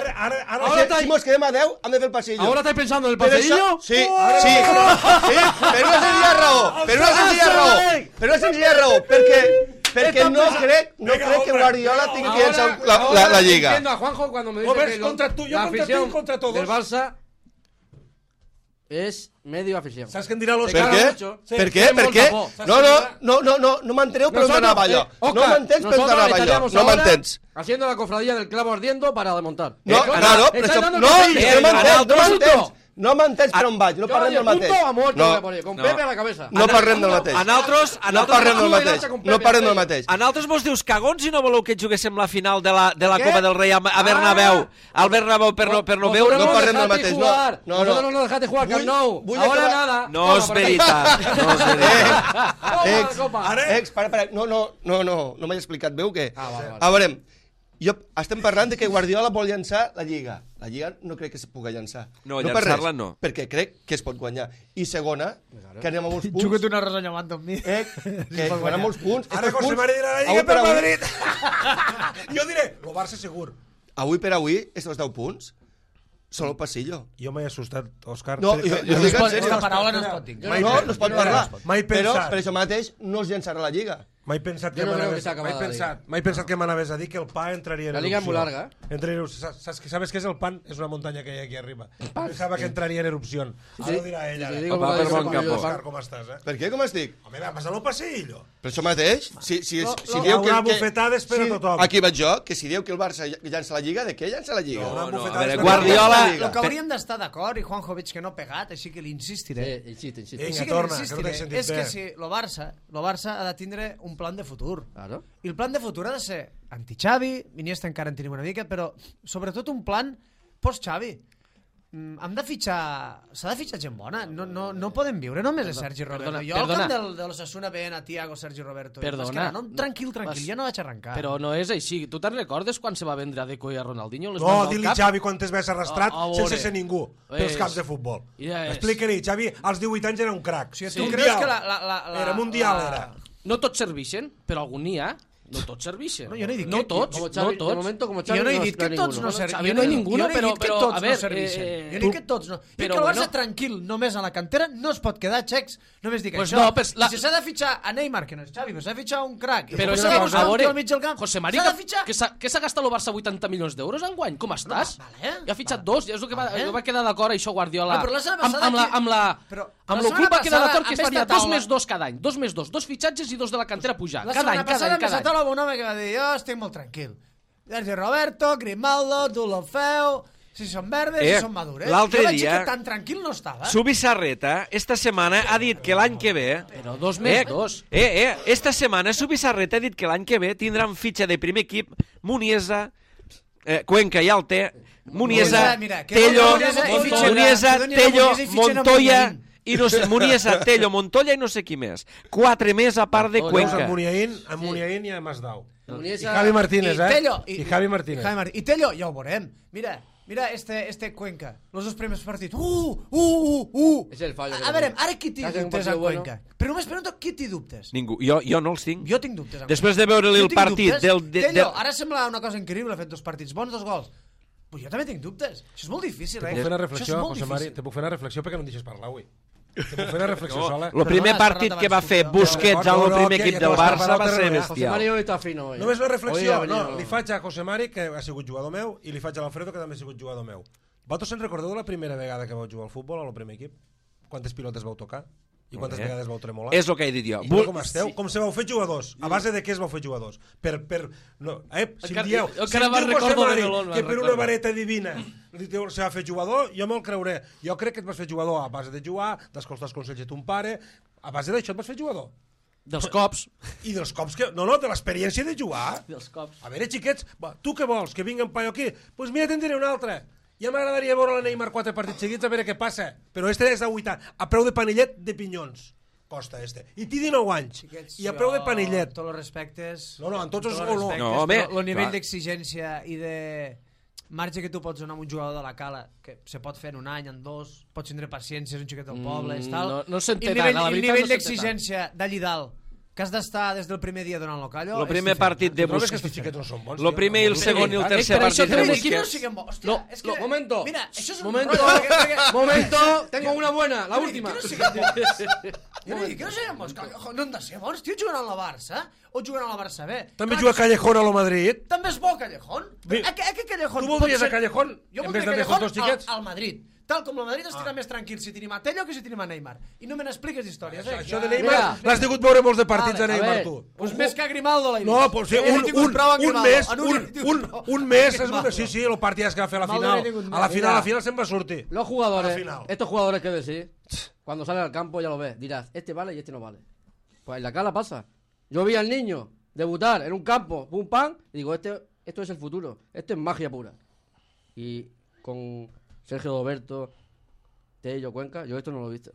Si mos quedem a 10, hem de fer el passillo. ¿Ahora estáis pensando en el Per això- pasillo? Sí, per una senzilla raó, perquè no crec que Guardiola tingui que llançar la Lliga. Entiendo a Juanjo cuando me dice Robert, que contra tú, yo la contra ti, afición contra todos. del Barça es medio afición. Saps què em dirà l'Òscar? Per Claro, què? mucho. Per què? Per què? No m'enteneu per on anava jo. No m'entens per on anava jo. No m'entens. Haciendo la cofradía del clavo ardiendo para desmontar. No, claro, però això... No m'entens per on vaig, no parlem del mateix. Punto a muerto No, voy a poner, con Pepe a la cabeza. no parlem del mateix. A nosaltres No parlem del mateix. No parlem del mateix. A nosaltres vos dius cagons i no voleu que juguéssim la final de la Què? Copa del Rei a Bernabéu. Al Bernabéu per no veure... No parlem del dejasteis mateix, no. jugar. No. Vosotros no dejaste jugar al Camp Nou. Vull Ahora acabar- nada. No és veritat, no és veritat. Toma la copa. Para. No m'he explicat bé o què? Vale. A veure, estem parlant de que Guardiola vol llançar la Lliga. La Lliga no crec que es pugui llançar. No, per llançar-la res, no. Perquè crec que es pot guanyar. I segona, que anem a molts punts. Juga't una rosa llamant amb mi. Que guanyar molts punts. Ara Estos José punts, Mari dirà la avui Lliga per per avui- Madrid. Jo diré, el Barça segur. Avui per avui, estos 10 punts, són el passillo. Jo m'he assustat, Òscar. No, jo dic en sèrio. Aquesta paraula no es pot dir. No es pot parlar. Mai Però pensat. per això mateix no es llançarà la Lliga. M'he pensat Jo que no creo que m'anaves s'ha acabat la Liga. m'he pensat que m'anaves a dir que el pa entraria en La Liga es muy larga, ¿Sabes qué es el pan? Es una montaña que hay aquí arriba. Pensava que entraria en erupció. Ara ho dirà ella. Sí, digo Va, que per bon capó. Òscar, com estàs, eh? Per què? Com estic? Home, va passar el passillo. Per això mateix, si No, dieu que... una bufetada espera tothom. Aquí vaig jo, que si dieu que el Barça llança la Lliga, de què llança la Lliga? No, No, bufetada a veure, espera Guardiola... Lliga. El que hauríem d'estar d'acord, i Juanjo veig que no ha pegat, així que li insistiré. Insiste. Vinga, Sí que torna, li que no t'he sentit és que bé. si el Barça ha de tindre un plan de futur. Claro. I el plan de futur ha de ser anti-Xavi, Iniesta encara en tenim una mica, però sobretot un plan post-Xavi. Hem de fitxar... S'ha de fitxar gent bona. No podem viure només de Sergi Roberto. Jo al camp de l'Osasuna veient a Thiago, Sergi Roberto. Perdona. Tranquil, ja no vaig arrencar. Però no és així. Tu te'n recordes quan se va vendre a Deco i a Ronaldinho? Les No, mans al di-li cap? Xavi quantes vegades arrastrat A veure. sense ser ningú pels És. camps de futbol. Ja és. Explica-li, Xavi als 18 anys era un crac. Si tu creus que Era mundial, era. No tots serveixen, però algun n'hi ha. No tots serveixen. No, jo no he dit no que- tots, Como no Xavi, de tots. momento como Xavi Jo no he no dit hay que tots ninguno. no serveixen. Xavi no hi ha ninguno, però tots a veure, no serveixen. Jo tu- dic que tots no. I que però el Barça bueno. tranquil, només a la cantera, no es pot quedar xecs. Només dic Pues això. no, pues la- I si s'ha de fitxar a Neymar, que no és Xavi, però s'ha de fitxar un crac. Però I és s'ha de que, posar a un veure, tio al mig del camp. José Mari, S'ha de fitxar... que s'ha gastat el Barça 80 milions d'euros enguany? Com estàs? vale. Ja ha fitxat dos, ja és el que Vale. va quedar d'acord això Guardiola. Ah, però la setmana passada però Amb la el club setmana va quedar passada, d'acord que es amb faria esta 2 taula- més 2 cada any. 2 més 2, 2 fitxatges i 2 de la cantera pujar. La Cada any, setmana cada passada any, m'he cada sentat any. un home que va dir jo estic molt tranquil. Sergi Roberto, Grimaldo, Dulofeu, si són verdes, si són madures. l'altre Jo vaig dir dia- que tan tranquil no estava. Subisarreta, esta setmana ha dit que l'any que ve... Però 2 més 2. Esta setmana Subisarreta ha dit que l'any que ve tindran fitxa de primer equip Muniesa, Cuenca ja el té, Muniesa, Mira, que Tello, Muniesa i fitxen- Muniesa, que donin a Tello, Muniesa i fitxen a Montoya... Muniain. I no sé, Muniesa, Tello, Montoya i no sé qui més. 4 més a part de Veus Cuenca. amb Muniain i amb Masdau. I Muniesa- Javi Martínez, I Tello, I Javi Martínez. I Tello, ja ho veurem. Mira, Mira este Cuenca, los dos primeros partidos. És el fallo. A veure, ara qui té Hacen un dubtes partido en bueno. Cuenca? Però només pregunto, qui té dubtes? Ningú. Jo no els tinc. Jo tinc dubtes. Després de veure-li el partit Tello, ara sembla una cosa increïble, ha fet 2 partits bons, 2 gols. Però jo també tinc dubtes. Això és molt difícil, Te puc fer una reflexió, José Mari, te puc fer una reflexió perquè no em deixes parlar avui. Te puc fer una reflexió sola. El primer partit que va fer Busquets en el primer equip del Barça va ser José bestial. Mari hoy está fino. Hoy. Només una reflexió, Hoy ha no, venido- li faig a José Mari, que ha sigut jugador meu, i li faig a l'Alfredo, que també ha sigut jugador meu. Vosaltres se'n recordeu de la primera vegada que vau jugar al futbol, al primer equip? Quantes pilotes vau tocar? I quantes vegades vau tremolar? És el que he dit jo. I com esteu? Com se vau fer jugadors? A base de què es vau fer jugadors? No, si em dieu, encara me'n recordo de Melón, que me'n per una recordo. vareta divina se va fer jugador, jo me'l creuré. Jo crec que et vas fer jugador a base de jugar, d'escoltar els consells de ton pare, a base d'això et vas fer jugador. Dels cops. I dels cops que... No, de l'experiència de jugar. Dels cops. A veure, xiquets, tu què vols? Que vingui en paio aquí? Doncs pues mira, te'n diré un altre. Ja m'agradaria veure la Neymar 4 partits seguits a veure què passa. Però este és de 80, a preu de panillet de pinyons. Costa este. I té 19 anys. I a preu de panillet. Tots els respectes... No, en tots els... No, home, el nivell clar. d'exigència i de marge que tu pots donar a un jugador de la Cala, que se pot fer en un any, en 2, pots tindre paciència, és un xiquet del poble, tal. no s'entén I tant, la el veritat nivell no s'entén d'exigència d'allí dalt, que has d'estar des del primer dia donant-lo callo... El primer partit de Trobes que Busquets. aquests xiquets no són bons? El primer i el segon i el tercer per això partit de té un Aquí no Busquets. siguem bons. Hòstia, No, és que... momento. Mira, això és un Momento. rotllo, Momento, tengo una buena, la última. Que no siguem bons. Jo no dic que no siguem bons. No hem de ser bons, tio, jugant a la Barça o jugant a la Barça B. També Clar juga que Callejón a lo Madrid. també és bo Callejón. Bé, A què Callejón? tu voldries pot ser- a Callejón Jo en vez voldria de Callejón dos xiquets? al Madrid. Tal com el Madrid estarà més tranquil si tenim a Tello que si tenim a Neymar. I no me n'expliques històries, eh? Això de Mira, Neymar, l'has degut veure molts de partits Vale, de Neymar, a tu. Pues més que a Grimaldo l'he vist. No, pues sí, He tingut prou amb un Grimaldo. mes, En he tingut prou. un mes, Grimaldo. sí, el partit que va fer a la Grimaldo final. he tingut A la més. final se'n va sortir. Los A jugadores, la final. estos jugadores que decís, cuando salen al campo ya lo ves, dirás, este vale y este no vale. Pues en la Cala pasa. Yo vi al niño debutar en un campo, pum pam, y digo, esto es el futuro, esto es magia pura. Y con Sergio Roberto, Tello, Cuenca, yo esto no lo he visto.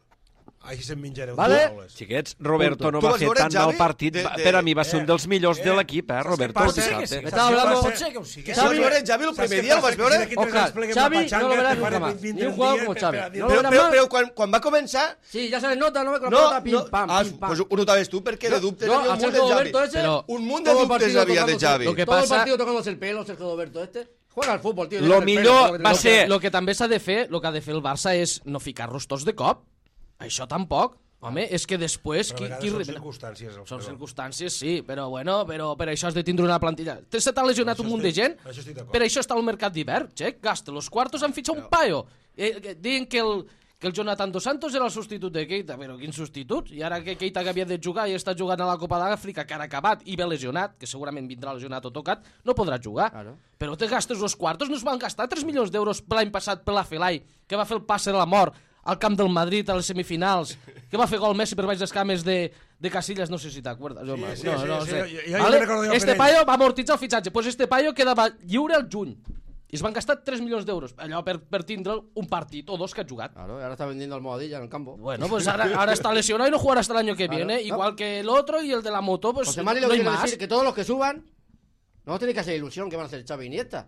Així se'n menjareu. Vale. paraules. Xiquets, Roberto no Tu va vas fer veure, tan mal Xavi? partit. Per a mi va ser un dels millors de l'equip, saps què Roberto. passa? el Sí que dissabte. Me estaba hablando... Pot ser que ho sigui. Si vas veure Xavi el primer dia, el vas veure? Oscar, Xavi no lo verás nunca más. Ni un jugador como Xavi. No lo verás más. Però quan va començar... Sí, ya se les nota, no me con la No, pelota, pim no, pam, pim pam. pues ho notaves tu, perquè de dubtes No, havia a un munt de Sergio Xavi. Roberto ese, Pero Un munt de todo el dubtes partido havia de tocándose- Xavi. Lo que todo el pasa- partido tocándose el pelo, Sergio Roberto este. Juega al fútbol, tío. Lo millor va ser... Lo que també s'ha de fer, el que ha de fer el Barça és no ficar-los tots de cop. Això tampoc. Home, és que després... Però a vegades són circumstàncies. Són Alfredo. circumstàncies, sí, però bueno, però per això has de tindre una plantilla. Se t'ha lesionat un munt de gent, això estic d'acord. per això està al mercat d'hivern, xec, gasta los quartos en fitxar un paio. Diuen que el Jonathan Dos Santos era el substitut de Keita, però quin substitut? I ara que Keita que havia de jugar i està jugant a la Copa d'Àfrica, que ara ha acabat i ve lesionat, que segurament vindrà lesionat o tocat, no podrà jugar. Claro. Però te gastes los quartos, no es van gastar 3 milions d'euros l'any passat per la Felai, que va fer el passe de la mort al camp del Madrid a les semifinals, que va fer gol Messi per baix les cames de Casillas, no sé si t'acuerdes. sí, no sí, sé. jo me'n recordo jo Este per ell. paio va amortitzar el fitxatge, pues este paio quedava lliure al juny. I es van gastar 3 milions d'euros, allò per tindre un partit o dos que ha jugat. Claro, y ahora está vendiendo almohadilla en el campo. Bueno, pues ahora está lesionado y no jugará hasta el año que viene, igual que el otro y el de la moto, pues José Mari no lo hay quiere más. decir que todos los que suban no tenéis que hacer ilusión que van a hacer Xavi y Iniesta.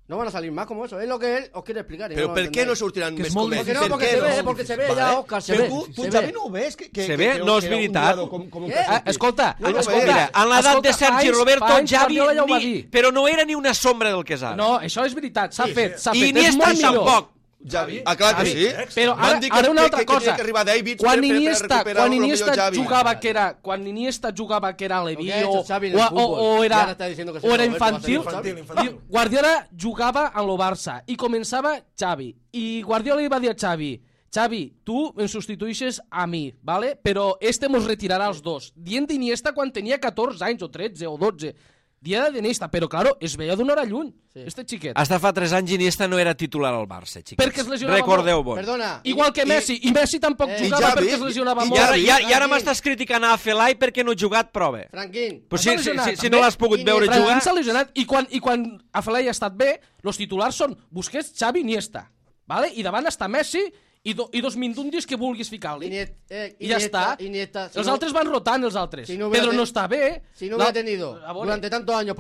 No van a salir más como eso. Es lo que él os quiere explicar. y Però no lo per què no entendéis. sortiran Que és més molt com Porque ells? no, porque Per se què ve, porque se ve Vale. ya, Oscar, se Però ve. tu se Xavi, ve. no ho ves? Se ve? No és era un veritat. jugador com un Què? Casillas. Escolta, No, no, escolta, Mira, en l'edat de escolta, Sergi fa Roberto, anys Xavi, Guardiola ja ho va dir. però no era ni una sombra del que és ara. No, això és veritat, s'ha fet, s'ha I fet. És Iniesta molt millor. tampoc. Xavi. Ah, clar que sí. Però Van ara, dir ara una altra que cosa. tenia que arribar Davids Quan per Iniesta, recuperar quan lo millor Iniesta Xavi. jugava que era, quan Iniesta jugava que era Leví Lo que ha hecho o, Xavi en el fútbol. o Y era, ahora está diciendo que o era Sergio Roberto va a ser infantil, infantil. i Guardiola jugava en lo Barça i començava Xavi. I Guardiola li va dir a Xavi, Xavi, tu em substitueixes a mi, ¿vale? Però este mos retirarà els dos. Dient d'Iniesta quan tenia 14 anys o 13 o 12. Dia d'Iniesta, però claro, es veia d'una hora lluny, este xiquet. Hasta fa 3 anys Iniesta no era titular al Barça, xiquets. Perquè es lesionava Recordeu-vos. Perdona. Igual que Messi, i Messi tampoc jugava Xavi, perquè es lesionava i molt. I ara m'estàs criticant a Felai perquè no ha jugat prova. Franquín. Però S'ha lesionat, si no l'has pogut veure Iniesta. jugar... S'ha lesionat i quan a Felai ha estat bé, els titulars són Busquets, Xavi i Iniesta. ¿Vale? I davant està Messi i dos mindundis que vulguis ficar-li. I ja està. Iniesta, si Els no- altres van rotant, els altres. si no hubiera Pedro ten- no està bé. Si no hubiera tenido A veure, durante tantos años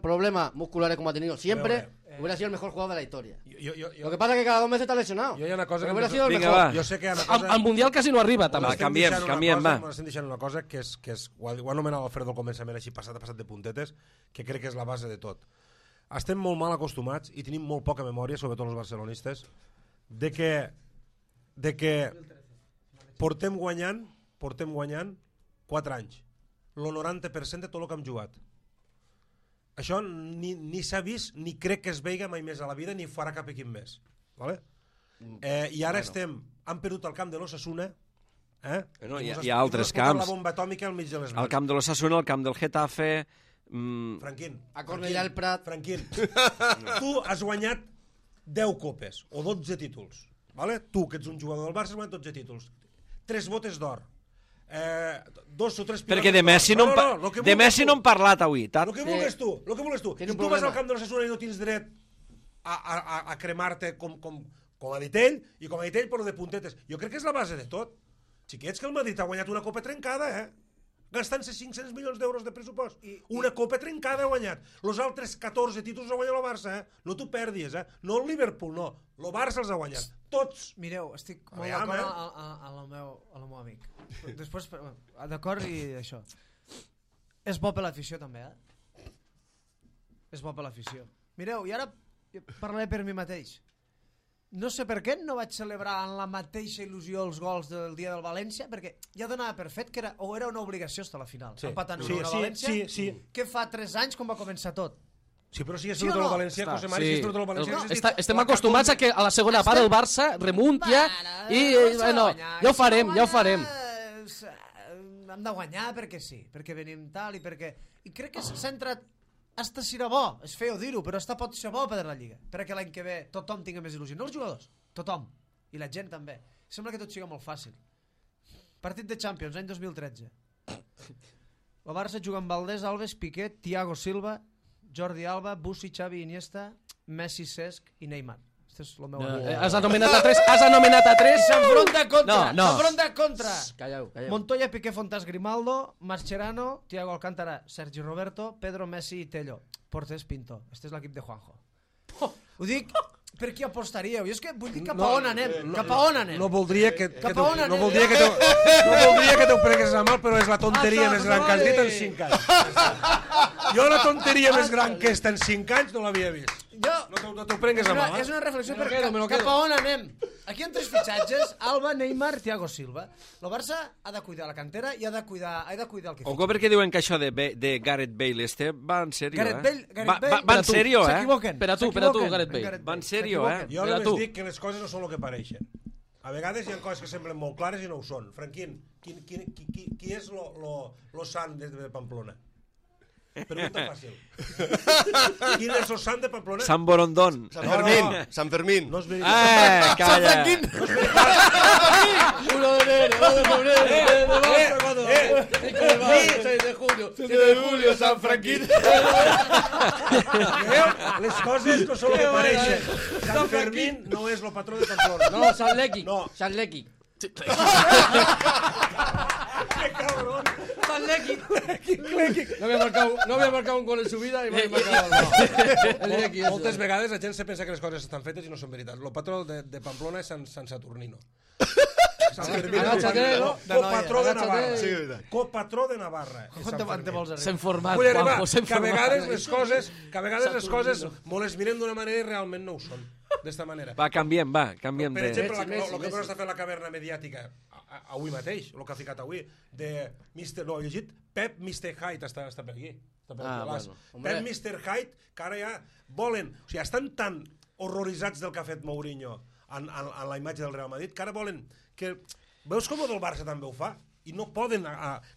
problemas musculares como ha tenido siempre, Hubiera sido el mejor jugador de la historia. Jo, Lo que pasa es que cada 2 meses está lesionado. hi ha una cosa Pero que... hubiera sido el Vinga, mejor. va. Jo sé que hi ha una cosa... Al Mundial quasi no arriba, també. Va, canviem, va. M'estem deixant una cosa que és ho ha anomenat Alfredo al començament, així passat de puntetes, que crec que és la base de tot. Estem molt mal acostumats i tenim molt poca memòria, sobretot els barcelonistes, de que portem guanyant 4 anys. El 90% de tot el que hem jugat. Això ni s'ha vist, ni crec que es veiga mai més a la vida, ni farà cap equip més. Vale? I ara han perdut el camp de l'Osasuna. Bueno, hi ha altres camps. La bomba atòmica al mig de les mans. El camp de l'Osasuna, el camp del Getafe... Franquín. A Cornellà el Prat. Franquín. Tu has guanyat 10 copes o 12 títols. Vale? Tu, que ets un jugador del Barça, has guanyat 12 títols. 3 botes d'or. 2 o 3 pilotes. Perquè de Messi no hem parlat avui. El que vulguis tu. Si tu vas al camp de l'Osasuna i no tens dret a cremar-te com ha dit ell, i com ha dit ell, però de puntetes. Jo crec que és la base de tot. Xiquets, que el Madrid ha guanyat una copa trencada, gastant-se 500 milions d'euros de pressupost. Una copa trencada ha guanyat. Els altres 14 títols ha guanyat el Barça, No t'ho perdis, No el Liverpool, no. El Barça els ha guanyat. Tots. Mireu, estic molt d'acord amb el meu amic. Després, d'acord i això. És bo per l'afició, també, És bo per l'afició. Mireu, i ara parlaré per mi mateix. No sé per què no vaig celebrar en la mateixa il·lusió els gols del dia del València, perquè ja donava per fet que era una obligació estar a la final. Empatant a València, que fa 3 anys quan va començar tot. Sí, però si és tot el València, José Mari, si és tot el València... Estem acostumats a que a la segona part el Barça remuntia i ja ho farem. Hem de guanyar perquè sí, perquè venim tal i perquè... I crec que s'ha entrat... Hasta serà bo, és feo dir-ho, però hasta pot ser bo per la Lliga, perquè l'any que ve tothom tingui més il·lusió, no els jugadors, tothom, i la gent també. Sembla que tot sigui molt fàcil. Partit de Champions, any 2013. El Barça juga amb Valdés, Alves, Piqué, Thiago Silva, Jordi Alba, Bussi, Xavi, Iniesta, Messi, Cesc i Neymar. Este és el meu... Has anomenat a 3. S'enfronta contra. Calleu. Montoya, Piqué, Fontàs, Grimaldo, Mascherano, Thiago Alcántara, Sergi Roberto, Pedro, Messi i Tello. Porters, Pinto. Este és l'equip de Juanjo. Ho dic per qui apostaríeu. Jo és que vull dir cap a on anem. No voldria que t'ho prengués a mal, però és la tonteria més gran que has dit en 5 anys. Jo la tonteria més gran que està en 5 anys no l'havia vist. No t'ho prengues a mal. És una reflexió per cap a on anem. Aquí hi ha 3 fitxatges: Alba, Neymar, Thiago Silva. El Barça ha de cuidar la cantera i ha de cuidar el que Ojo, perquè diuen que això de Gareth Bale va en sèrio, Va en sèrio, S'equivoquen. Per a tu, Gareth Bale. Va en sèrio, Jo només dic que les coses no són el que pareixen. A vegades hi ha coses que semblen molt clares i no ho són. Franquín, qui és lo sant de Pamplona? Pregunta fàcil. Quin és el sant de Pamplona? Sant Borondón. Sant Fermín. No és veritat. Calla. Uno de febrero, 6 de julio, 7 de julio, San Franquín. Les coses no són el que pareixen. Sant Fermín no és el patró de Pamplona. No, San Lequi. No. San Lequi. Que cabrón. San Lequi. No había marcado un gol en su vida y me ha marcado el Lequi. Moltes vegades la gent se pensa que les coses estan fetes i no són veritat. El patró de Pamplona és Sant Saturnino. Sant Fermín copatró de Navarra. Copatró de Navarra. S'ha informat, Vull arribar Juanjo, que a vegades les coses molt les mirem d'una manera i realment no ho són. D'esta manera. Va, canviem Per de... exemple, el que està fent la caverna mediàtica avui mateix, el que ha ficat avui, de Mr. No, he llegit Pep Mr. Hyde, està per aquí. Pep Mr. Hyde, que ara ja volen... O sigui, estan tan horroritzats del que ha fet Mourinho en la imatge del Real Madrid, que ara volen que... Veus com el del Barça també ho fa? I no poden...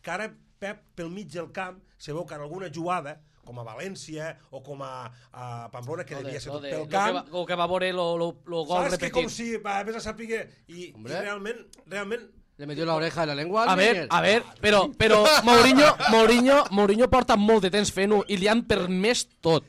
Que ara Pep, pel mig del camp, se veu que en alguna jugada, com a València o com a Pamplona, que devia ser tot pel camp... O que va veure el gol repetit. Saps que com si vés a saber... I realment... Le metió la oreja en la lengua. A ver, però Mourinho porta molt de temps fent-ho i li han permès tot.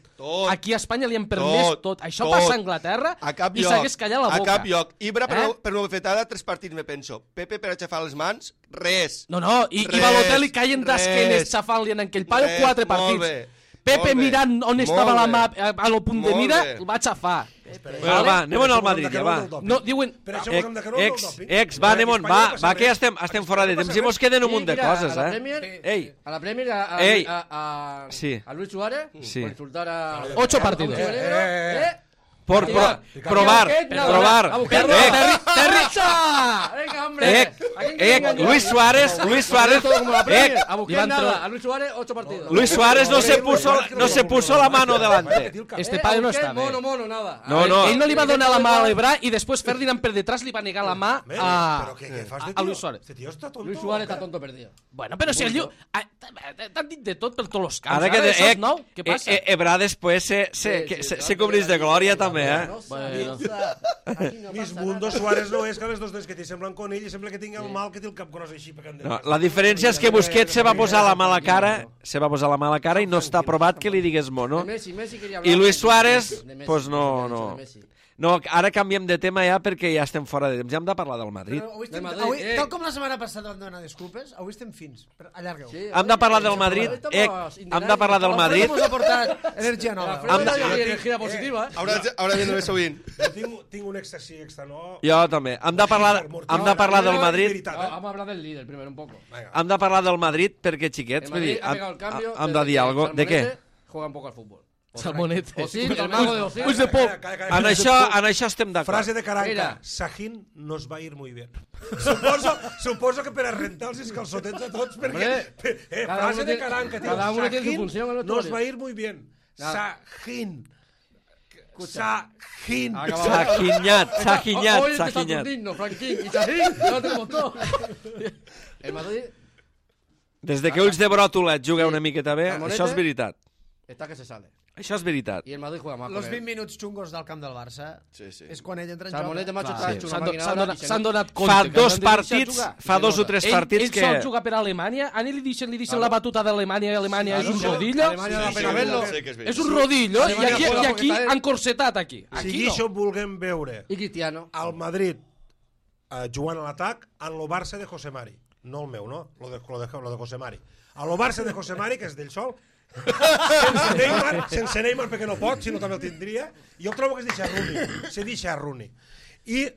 Aquí a Espanya li han permès tot. Això passa a Anglaterra i s'hagués callat la boca. A cap lloc. Ibra per no haver fet ara 3 partits, me penso. Pepe per aixafar les mans, res. No, i Balotelli caient d'esquenes xafant-li en aquell paio 4 partits. Pepe Molt bé. mirant on estava Molt la bé. mà a lo punt de Molt mira, bé. el va aixafar. Bueno, va, anem al Madrid, ja, va. No, diuen... Per això posem de que no del doping. Va, anem on, va, que ja estem fora de temps i mos queden un munt de coses, A la eh? Premier, Ei, a la Premier, Ei. a Luis Suárez, Sí. por insultar a... 8 partidos. por probar, A buscarlo. Venga, hombre. Luis Suárez, A buscar nada. A Luis Suárez, 8 partidos. Luis Suárez no se puso la mano delante. Este padre no està bé. Mono, nada. No. Ell no li va donar la mà a l'Ebrà i després Ferdinand per detrás li va negar la mà a Luis Suárez. Este tío está tonto. Luis Suárez está tonto perdido. Bueno, però si el lliu... T'han dit de tot per tots els camps. Ara que això és nou, què passa? Ebra després se cobreix de glòria també, eh? Bueno. Mis mundos Suárez no és que les dos dents que t'hi semblen con ell i sembla que tingui el mal que té el cap gros així pecant de... No, la diferència és que Busquets se va posar la mà a la cara i no està provat que li digués mono. Messi quería hablar I Luis de Suárez, Messi, pues no. de Messi. No, ara canviem de tema ja perquè ja estem fora de temps. Ja hem de parlar del Madrid. Però avui estem, Madrid, avui, eh. tal com la setmana passada vam demanar disculpes, avui estem fins. Però allargueu. Sí, Hem de parlar del Madrid. Hem de parlar del Madrid. Ens ha portat energia nova. Energía positiva, Ahora viendo eso bien. Tinc un èxtasi extra, no? Jo també. Hem de parlar del Madrid. Vamos a hablar del líder primero un poco. Hem de parlar del Madrid perquè, xiquets, El vull dir, Madrid ha pegado el cambio. hem de dir alguna cosa. De què? Juega un poco al fútbol. Salmonete. Osil, el mago de Osil. Ulls de pop. En això estem d'acord. Frase de Caranca. Mira. Sajín nos va ir muy bien. Suposo que per a rentar els calçotets a tots, perquè... Cada frase uno de tiene- Caranca, tío. cada uno tiene su Sajín función en el nos vestuario. va a ir muy bien. Nada. Sajín. Sajín. Hoy es de Sajinyat. Saturnino, Franquín y Sajín. Ya lo tenemos todo. El Madrid Des de que Ulls de Bròtola juga una miqueta bé, Salmonete. això és veritat. está que se sale. Això és veritat. Y el Madrid juega más. Los con 20 él. minuts xungos del camp del Barça Sí, sí. és quan ell entra en Salmonete, joc. macho, Clar, está sí. hecho S'han una máquina s'han ahora donat, y se s'han nota. donat compte. Fa que dos han de deixar partits, jugar. fa dos o tres partits Ell que... sol juga per Alemanya, a ell li deixen la batuta d'Alemanya i Alemanya és un rodillo. Alemanya no da pena verlo. Sé que és És un rodillo i Alemanya aquí, juega i porque aquí está él. han corsetat aquí. Si Aquí això no. vulguem veure Y Cristiano. al Madrid jugant a l'atac en lo Barça de José Mari. No el meu, no? Lo de José Mari. A lo Barça de José Mari, que és d'ell sol, sense Neymar perquè no pot, si no també el tindria, jo trobo que es deixa a Rooney. I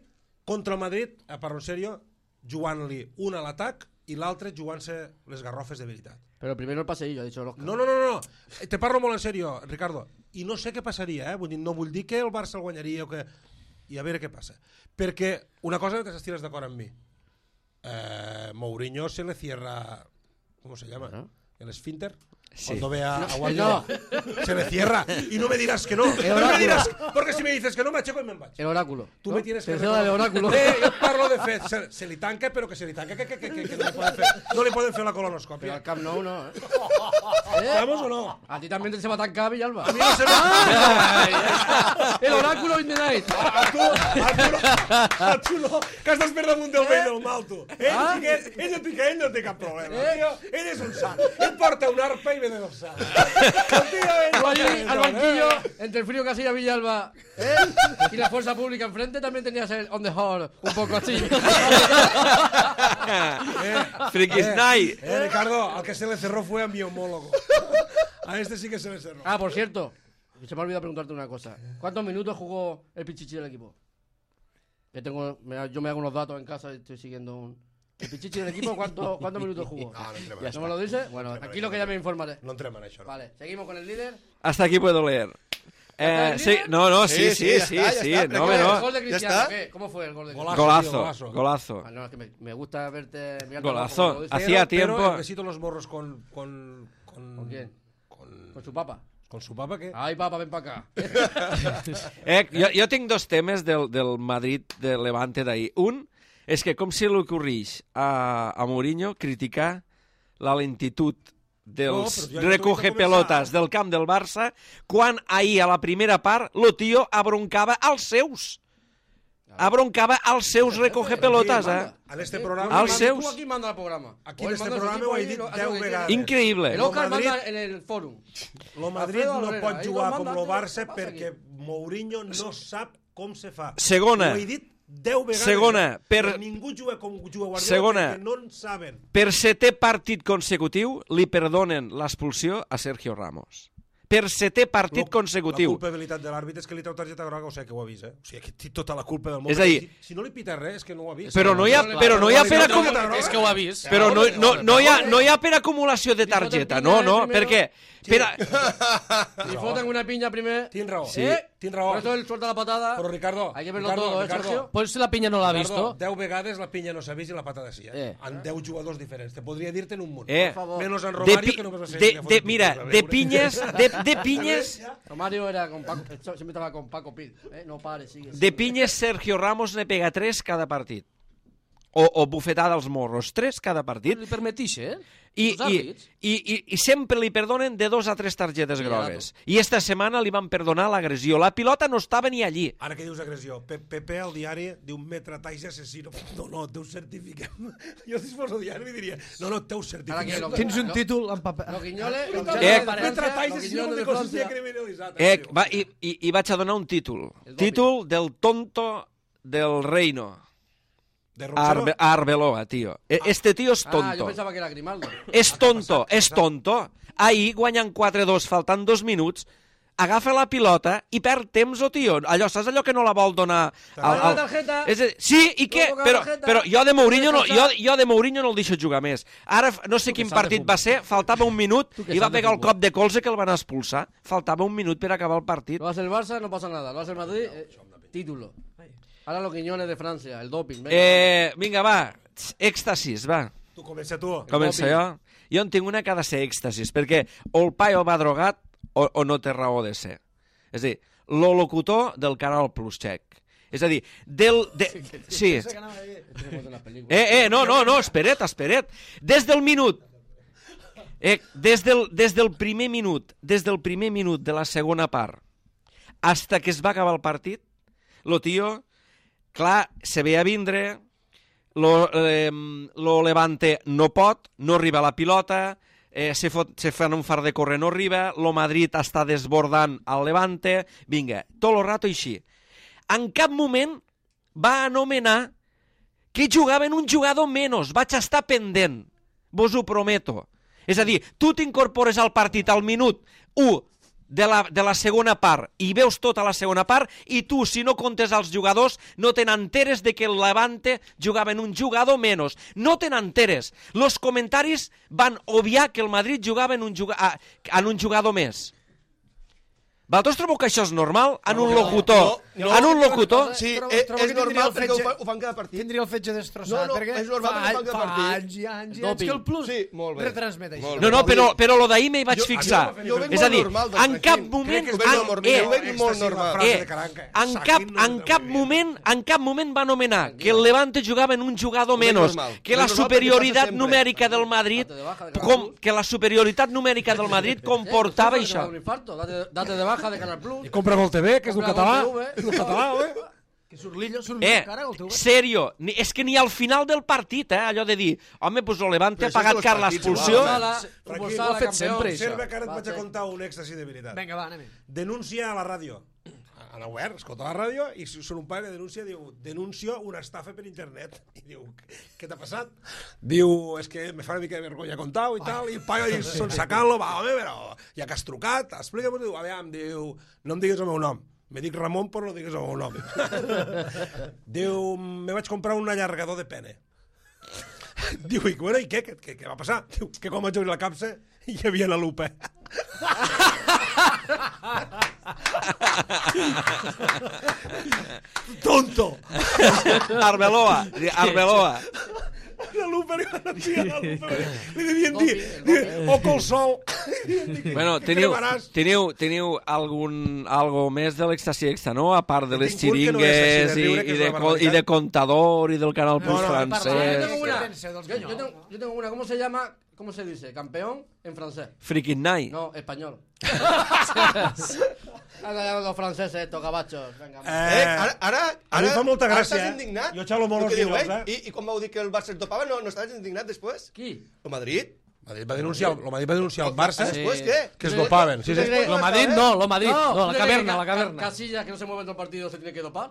contra el Madrid, a parlar en sèrio, jugant-li un a l'atac i l'altre jugant-se les garrofes de veritat. Pero primero el paseillo, ha dicho Oscar. No. Te parlo molt en sèrio, Ricardo. I no sé què passaria, Vull dir, no vull dir que el Barça el guanyaria o que... I a veure què passa. Perquè una cosa que t'estires d'acord amb mi. Mourinho se le cierra... ¿Cómo se llama? El esfínter. Sí. Cuando ve a No, Guardiola. Se le cierra. Y no me dirás que no. No me dirás... Porque si me dices que no, me aixeco i me'n vaig. El oráculo. Tú ¿no? me tienes que... Te cedo el oráculo. Jo et parlo de fet. Se li tanca, però que se li tanca. Que no li poden fer la Pero colonoscòpia. al Camp Nou no, ¿eh? ¿Estamos o no? A ti también se va a tancar Villalba. A mi no se me... El oráculo in the night. A tu no, que estàs per damunt del bé i del mal, tu. Ell no té cap problema. Ell és un sant. Ell porta una arpa i ve de dorsal. Tú allí al banquillo, entre el frío que hacía Villalba y la fuerza pública enfrente, también tenías el on the hall un poco así. Frikis Night. Ricardo, al que se le cerró fue a mi homólogo. A este sí que se le cerró. Ah, por cierto, se me ha olvidado preguntarte una cosa. ¿Cuántos minutos jugó el Pichichi del equipo? Que yo me hago unos datos en casa y estoy siguiendo un... ¿El Pichichi del equipo cuántos minutos jugó? No, ¿No me lo dice? Bueno, aquí lo que ya me informaré. No entrem en això, no. Vale, seguimos con el líder. Hasta aquí puedo leer. Sí, no, sí, Sí, ya está. no, ¿El no. gol de Cristiano? está. ¿Qué? ¿Cómo fue el gol de Golazo. Cristiano? Golazo. Ah, no, es que me gusta verte... mirarte Golazo. abajo, como lo dice. Hacía Pero tiempo. besito los morros con ¿Con quién? ¿Con su papa? con su papa, ¿qué? Ay, papa, ven para acá. Jo tinc dos temes del Madrid de Levante d'ahir. Un és que com se li ocorreix a Mourinho criticar la lentitud dels però ja recoge no pelotes del camp del Barça quan ahir a la primera part lo tio abroncava als seus. Abroncava als seus recoge pelotes, En este programa... Als seus. Tú aquí manda el programa. Aquí O en él este manda su programa equipo ho he y dit lo hace 10 lo que vegades. quiera. Increïble. El Oscar Madrid- manda en el fórum. Lo Madrid Alfredo no Alvarez, pot ahí jugar lo com manda, lo Barça ¿qué pasa perquè aquí? Mourinho no sap com se fa. Segona. Ho he dit 10 vegades. Segona, per- Ningú juga com juga Guardiola Segona. perquè no en saben. Per setè partit consecutiu li perdonen l'expulsió a Sergio Ramos. per 7è partit consecutiu. La culpabilitat de l'àrbitre és que li treu targeta groga, o sigui que ho ha vist, O sigui, que té tota la culpa del món. És a dir, si no li pita res, és que no ho ha vist. Però no hi ha per acumulació... És que ho ha vist. Però no hi ha per acumulació de targeta, no, perquè... Li foten una piña primer. Tienes raó. Sí. Tienes raó. Por eso él suelta la patada. Però Ricardo, Hay que verlo todo, Sergio? Pues la piña no l'ha vist. 10 vegades la pinya no s'ha vist i la patada sí, En 10 jugadors diferents. Te podria dir-te en un munt. Menos en Romario, que només va ser... Mira, de pinyes... Romario era con Paco, siempre estaba con Paco Pil. No pare, sigue. De pinyes, Sergio Ramos ne pega 3 cada partit. O bufetada als morros, 3 cada partit. Li permetix, I sempre li perdonen de 2 a 3 targetes grogues. I esta setmana li van perdonar l'agressió. La pilota no estava ni allí. Ara que dius agressió, Pepe al diari diu un metre talls assassino. No, té un certificat. Jo si fos al diari diria, no, té un certificat. Tens un títol en paper. Lo Quiñoles, metre talls assassino de consistia criminalitzat. I vaig a donar un títol. Títol del tonto del reino. Arbeloa, tío. Este tío es tonto. Yo pensaba que era Grimaldo. És tonto. Ahir, guanyant 4-2, faltant 2 minuts, agafa la pilota i perd temps, tio. Allò, saps allò que no la vol donar... La tarjeta. Sí, i què? Però jo de Mourinho no el deixo jugar més. Ara, no sé quin partit va ser, faltava un minut i va pegar el cop de colze que el van expulsar. Faltava un minut per acabar el partit. Lo hace el Barça, no pasa nada. Lo hace el Madrid, título. Ahora los Quiñones de Francia, el doping. Vinga, va, èxtasis, va. Tu comença tu. Comença jo? Jo en tinc una que ha de ser èxtasis, perquè o el paio va drogat o no té raó de ser. És a dir, lo locutor del Canal Plus Check. És a dir, sí. No, espera't. Des del minut. Des del primer minut de la segona part hasta que es va acabar el partit, lo tio, clar, se ve a vindre, lo Levante no pot, no arriba a la pilota, se fan un far de córrer, no arriba, lo Madrid està desbordant al Levante, vinga, tot el rato així. En cap moment va anomenar que jugaven un jugador menys, vaig estar pendent, vos ho prometo. És a dir, tu t'incorpores al partit al minut 1 de la segona part i veus tota la segona part i tu, si no comptes els jugadors, no te n'enteres de que el Levante jugava en un jugador menys. No te n'enteres. Los comentaris van obviar que el Madrid jugava en un jugador més. Vosaltres trobeu que això és normal? En un locutor? En un locutor? Sí, és normal perquè ho fan cada partit. Tindria el fetge destrossat, perquè és normal perquè ho fan cada partit. Fa anys i anys que el Plus retransmet això. No, però lo d'ahir m'hi vaig fixar. És a dir, en cap moment... En cap moment va anomenar que el Levante jugava en un jugador menys, que la superioritat numèrica del Madrid comportava això. Date de baja de Canal Plus. I compra Gol TV, que és un català. És un català, Que surt cara, Gol TV. Serio, és que ni al final del partit, allò de dir, home, pues el Levante ha pagat car l'expulsió. Ho ha fet sempre, això. Observa que ara et vaig a contar un èxtasi de veritat. Vinga, va, anem. Denuncia a la ràdio. A la web, escolta la ràdio, i són un pare que denuncia, diu, denuncio una estafa per internet. I diu, què t'ha passat? Diu, és que me fa una mica de vergonya contar-ho i tal, i el paio diu, són sacant-lo, va, home, però ja que has trucat, explica-m'ho, diu, aviam, diu, no em digues el meu nom. Me dic Ramon, però no digues el meu nom. Diu, me vaig comprar un allargador de pene. Diu, i bueno, i què va passar? Diu, que quan vaig obrir la capsa hi havia la lupa. Tonto! Arbeloa. La lupa, li devien dir, o col sol. Bueno, teniu algo més de l'Extasi Extra, no? A part de les xiringues i de Contador i del Canal Plus francès. Yo tengo una, ¿cómo se dice? Campeón en francés. Freaking Night. No, español. Los franceses, estos gabachos. Ara fa molta gràcia, estàs indignat? Jo xalo molt els diu, dies, I quan vau dir que el Barça es dopava, no estaves indignat després? Qui? El Madrid? Madrid va denunciar el Barça ¿Después qué? que es dopaven. Sí, sí. Lo Madrid no, la ¿tú caverna, crees que la caverna. Casillas que no se mueve en todo el partido se tiene que dopar.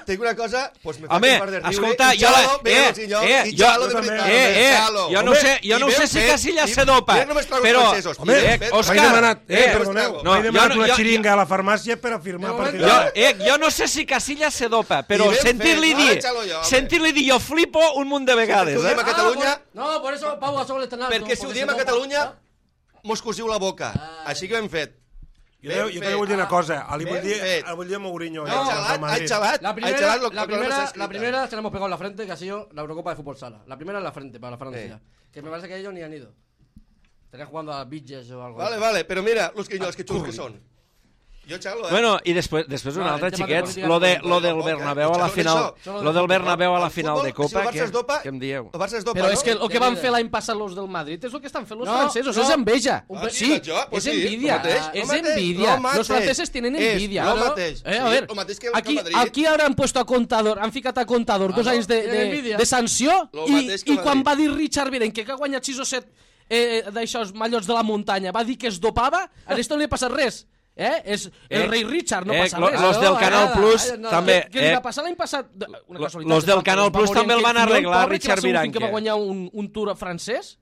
Tinc una cosa, pues me fa Home, un par de riure. escolta, I jo... Xalo, bé, senyor, i Xalo, de veritat. Xalo. Jo no sé si Casillas se dopa, Jo només trobo els però... francesos. Home, Òscar, m'he demanat, perdoneu, no, m'he demanat jo- una jo- xiringa a la farmàcia per afirmar a partir Jo, d'ara. jo no sé si Casillas se dopa, però I ben sentir-li fet, dir... déjalo jo, home. Sentir-li dir jo flipo un munt de vegades, Si ho diem a Catalunya, No, por eso Pau Gasol está en alto. perquè si ho porque diem se a dopa. Catalunya, mos cosiu la boca. Així que ho hem fet. Jo també vull dir una cosa, li vull dir a Mourinho. Ha xalat. La primera se la hemos pegado en la frente, que ha sido la Eurocopa de Fútbol Sala. La primera en la frente, para la Francia. Que me parece que ellos ni han ido. Estarían jugando a Bitches o algo. Vale, però mira, els quinyols que són. Jo xalo, Bueno, i després un altre, el tema de xiquets, política lo del Bernabéu a la final, lo del Bernabéu a la final de Copa, què què em dieu? El Barça es dopa, Però no? és que el que van fer l'any passat los del Madrid és el que estan fent los No, francesos, no. és enveja. Ah, Sí, pues és sí, envidia, lo mateix, és lo mateix, envidia. lo mateix. Los franceses tienen És envidia. lo mateix, A sí, ver, lo mateix que el Madrid. aquí ara han puesto a Contador, han ficat a Contador 2 anys tienen envidia. de sanció Lo i mateix que el quan Madrid. va dir Richard Virenque que ha guanyat 6 o 7 d'aixòs mallots de la muntanya, va dir que es dopava, a esto no li ha passat res. És el rei Richard, no passa res. Los del Canal Plus també... Què li va passar l'any passat? Una casualitat, Los del va Canal morir Plus en també el aquell van Finyón, arreglar, pobre, Richard que va ser un fill que va Viranque. guanyar un tour francès,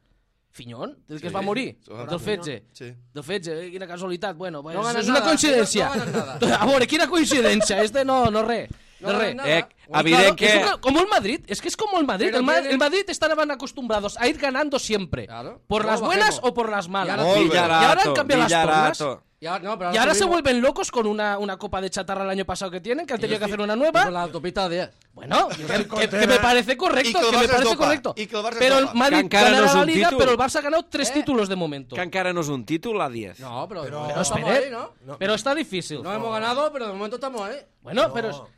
Finyón, del que es va morir, del fetge. Sí. Del fetge, quina casualitat. Bueno, pues, ganes és una nada, coincidència. no ganes nada. A veure, quina coincidència. No res. No No ganes res. nada. Evident que... Es como el Madrid, es que es como el Madrid. Pero El Madrid estaban acostumbrados a ir ganando siempre. Claro. Por Luego las buenas bajemos. o por las malas. Y ahora- Y ahora han cambiado las tornas. Y ahora, Y ahora se vuelven locos con una copa de chatarra el año pasado que tienen, que han tenido que hacer una nueva. Con la autopista 10. Bueno, que me parece correcto, Y que el que me Barça parece es dopa. correcto. Y que el Barça es Pero el dopa. Madrid Que encara ganará no es la un Liga, títol. pero el Barça ha ganado 3 títulos de momento. Que encara no és un títol a 10. No, pero Pero estamos espere, ahí, ¿no? pero está difícil. No hemos ganado, pero de momento estamos ahí. Bueno, pero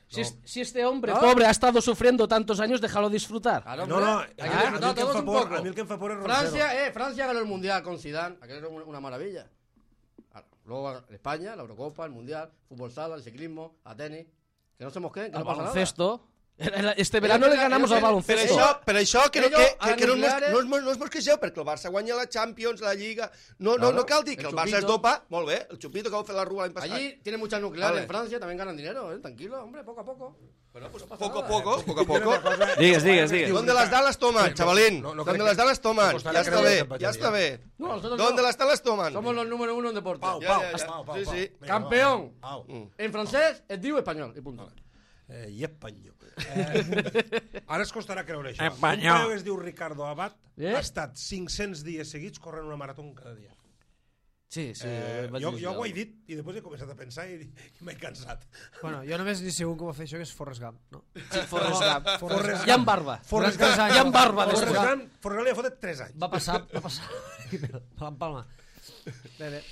si este hombre No. pobre ha estado sufriendo tantos años, déjalo disfrutar. Claro, No, hombre. no, Hay que a mi disfrutar el que em todos fa un por, poco. a mi el que em fa por és Roncero. Francia ganó el Mundial con Zidane, aquello era una maravilla. Luego España, la Eurocopa, el Mundial, fútbol sala, el ciclismo, a tenis. Que no se mosqueen, que Al no pasa nada. baloncesto. Este verano le ganamos al Per baloncesto. això que no Ellos, a no nucleares- us mosquegeu, perquè el Barça guanya la Champions, la Lliga... No cal dir que el el Barça es Chupito. dopa, molt bé, el Chupito que va fer la Rua l'any passat. Allí tiene muchas nucleares Vale. en Francia, también ganan dinero, tranquilo, hombre, poco a poco. Bueno, pues poco a poco. Digues. ¿Dónde las dan las toman, chavalín? No ¿Dónde crec las dan las toman? costarà Ya está creure bé, que ya está bé. No, nosotros ¿Dónde no. las dan las toman? Somos los número 1 en deporte. Pau, Ja, Pau, ja, ja. Pau, Pau, Sí, Pau. sí. Vinga, Campeón. va. Pau. En francés es diu espanyol, i punt. I espanyol. Ara es costarà creure això. Espanyol. Un paio que es diu Ricardo Abad Eh? ha estat 500 dies seguits corrent una marató cada dia. Sí, Jo ho he dit i després he començat a pensar i m'he cansat. Bueno, jo només li sé un que va fer això, que és Forrest Gump, no? Forrest Gump. Forrest I amb barba. Forrest Durant 3 Gump. anys. I amb barba. Forrest després. Gump li ha fotut 3 anys. Va passar. Me l'empalma. Bé.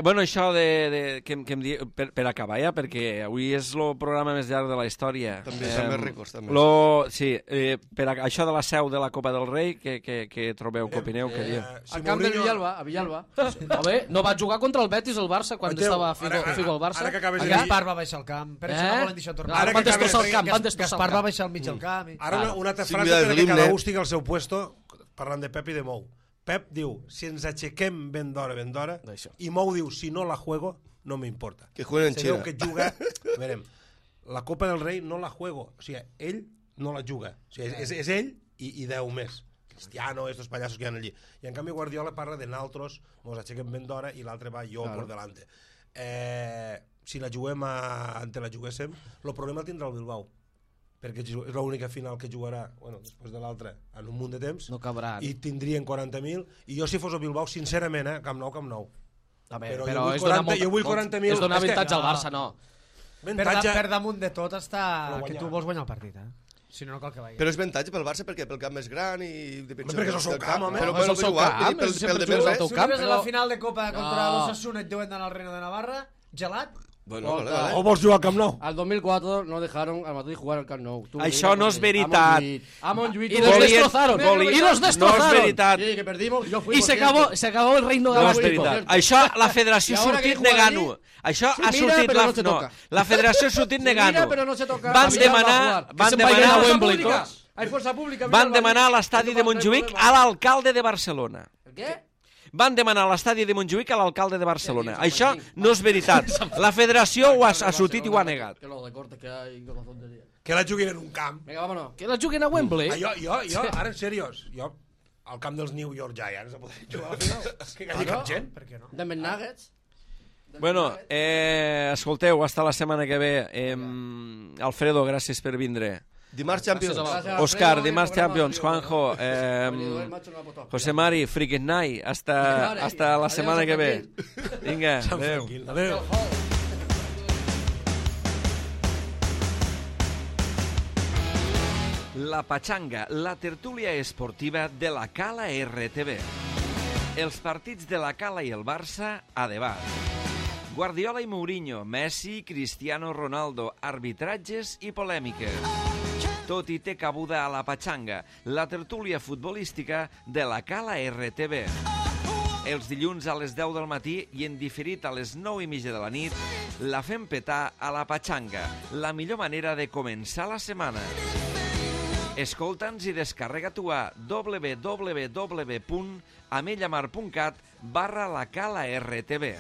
Bueno, això que em diu, per acabar ja, perquè avui és el programa més llarg de la història. També són més ricos, també. Sí, això de la seu de la Copa del Rei, que trobeu, que opineu, que dieu? Al camp del Villalba, a Villalba. Home, no va jugar contra el Betis el Barça quan Mateu, estava Figo al Barça. ara que acabes de dir- Gaspar va baixar al camp. Per això no volen deixar tornar. Ara Van que destrossar el acabes- camp, van destrossar el Gaspar va camp. baixar al mig del camp. Ara una altra Sí, frase mira, perquè l'himne. cada un estigui al seu puesto, parlant de Pep i de Mou. Pep diu, si ens aixequem ben d'hora, D'això. i Mou diu, si no la juego, no me importa. Que jueguen en Se veu Xina. que juga... A veure, la Copa del Rei no la juego. O sigui, ell no la juga. O sigui, és ell i 10 més. Cristiano, estos payasos que hi ha allí. I en canvi Guardiola parla de naltros, mos aixequem ben d'hora i l'altre va jo por delante. Si la juguem ante la juguéssim, el problema el tindrà el Bilbao, perquè és l'única final que jugarà, bueno, després de l'altra, en un munt de temps, No cabran. i tindrien 40.000, i jo si fos el Bilbao, sincerament, Camp Nou. A veure, Però però jo vull és donar 40, jo vull 40.000. És donar És que- avantatge al Barça, no. Per damunt de tot està Però que guanyar. tu vols guanyar el partit, Si no, no cal que vagi. Però és avantatge pel Barça perquè pel camp més gran i... perquè és el seu camp, home. Però És bueno, el seu igual, camp, pel sempre de jugues al més teu Si res. camp, ves a però- la final de Copa contra No. l'Osasuna i et deuen d'anar al Reino de Navarra, gelat, Bueno, vale. O vols jugar al Camp Nou? Al 2004 no dejaron al Madrid jugar al Camp Nou. Això no és veritat. A Montjuïc. Y los destrozaron. Y los No és destrozaron. veritat. Sí, que perdimos. Yo fui, Y por se cierto. acabó el reino No és galáctico. veritat. Això la federació I ha ahora sortit que juega negant-ho. allí, Això se ha mira, sortit però no se toca. la federació ha sortit Se mira, negant-ho. pero no se toca. Van A Villalba a demanar jugar. Que se'n vagin a van Wembley, Pública. tots. Hay fuerza pública. van Villalba, demanar a allí. l'estadi de No hay Montjuïc problema. a l'alcalde de Barcelona. Què? Van demanar a l'estadi de Montjuïc a l'alcalde de Barcelona. Això no és veritat. La federació ho ha sortit i ho ha negat. Que lo de corte que hay con la tontería. Que la juguin en un camp. Venga, vámonos. Que la juguen a Wembley. Jo, ara en seriós, jo al camp dels New York Giants a poder jugar a la final. Que hi hagi cap gent. Per què no? Denver Nuggets. Bueno, escolteu, hasta la setmana que ve. Alfredo, gràcies per vindre. Dimarts Champions. Òscar, dimarts Champions. Juanjo, José Mari, Freaking Night. Hasta la setmana que ve. Vinga, adeu. Adéu. La Pachanga, la tertúlia esportiva de la Cala RTV. Els partits de la Cala i el Barça a debat. Guardiola i Mourinho, Messi, Cristiano Ronaldo, arbitratges i polèmiques. Tot i té cabuda a la Pachanga, la tertúlia futbolística de la Cala RTV. Els dilluns a les 10 del matí i en diferit a les 9:30 de la nit, la fem petar a la Pachanga, la millor manera de començar la setmana. Escolta'ns i descarrega-t'ho a www.amellamar.cat/lacala-rtv.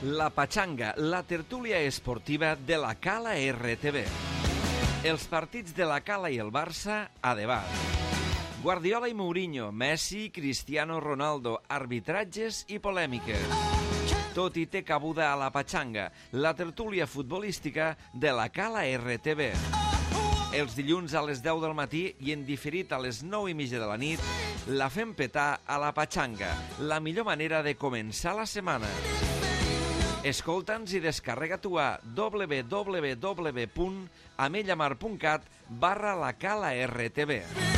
La Pachanga, la tertúlia esportiva de la Cala RTV. Els partits de la Cala i el Barça a debat. Guardiola i Mourinho, Messi, Cristiano Ronaldo, arbitratges i polèmiques. Tot i té cabuda a la Pachanga, la tertúlia futbolística de la Cala RTV. Els dilluns a les 10 del matí i en diferit a les 9:30 de la nit, la fem petar a la Pachanga, la millor manera de començar la setmana. Escolta'ns i descarrega-t'ho a www.amellamar.cat/lacala-rtv.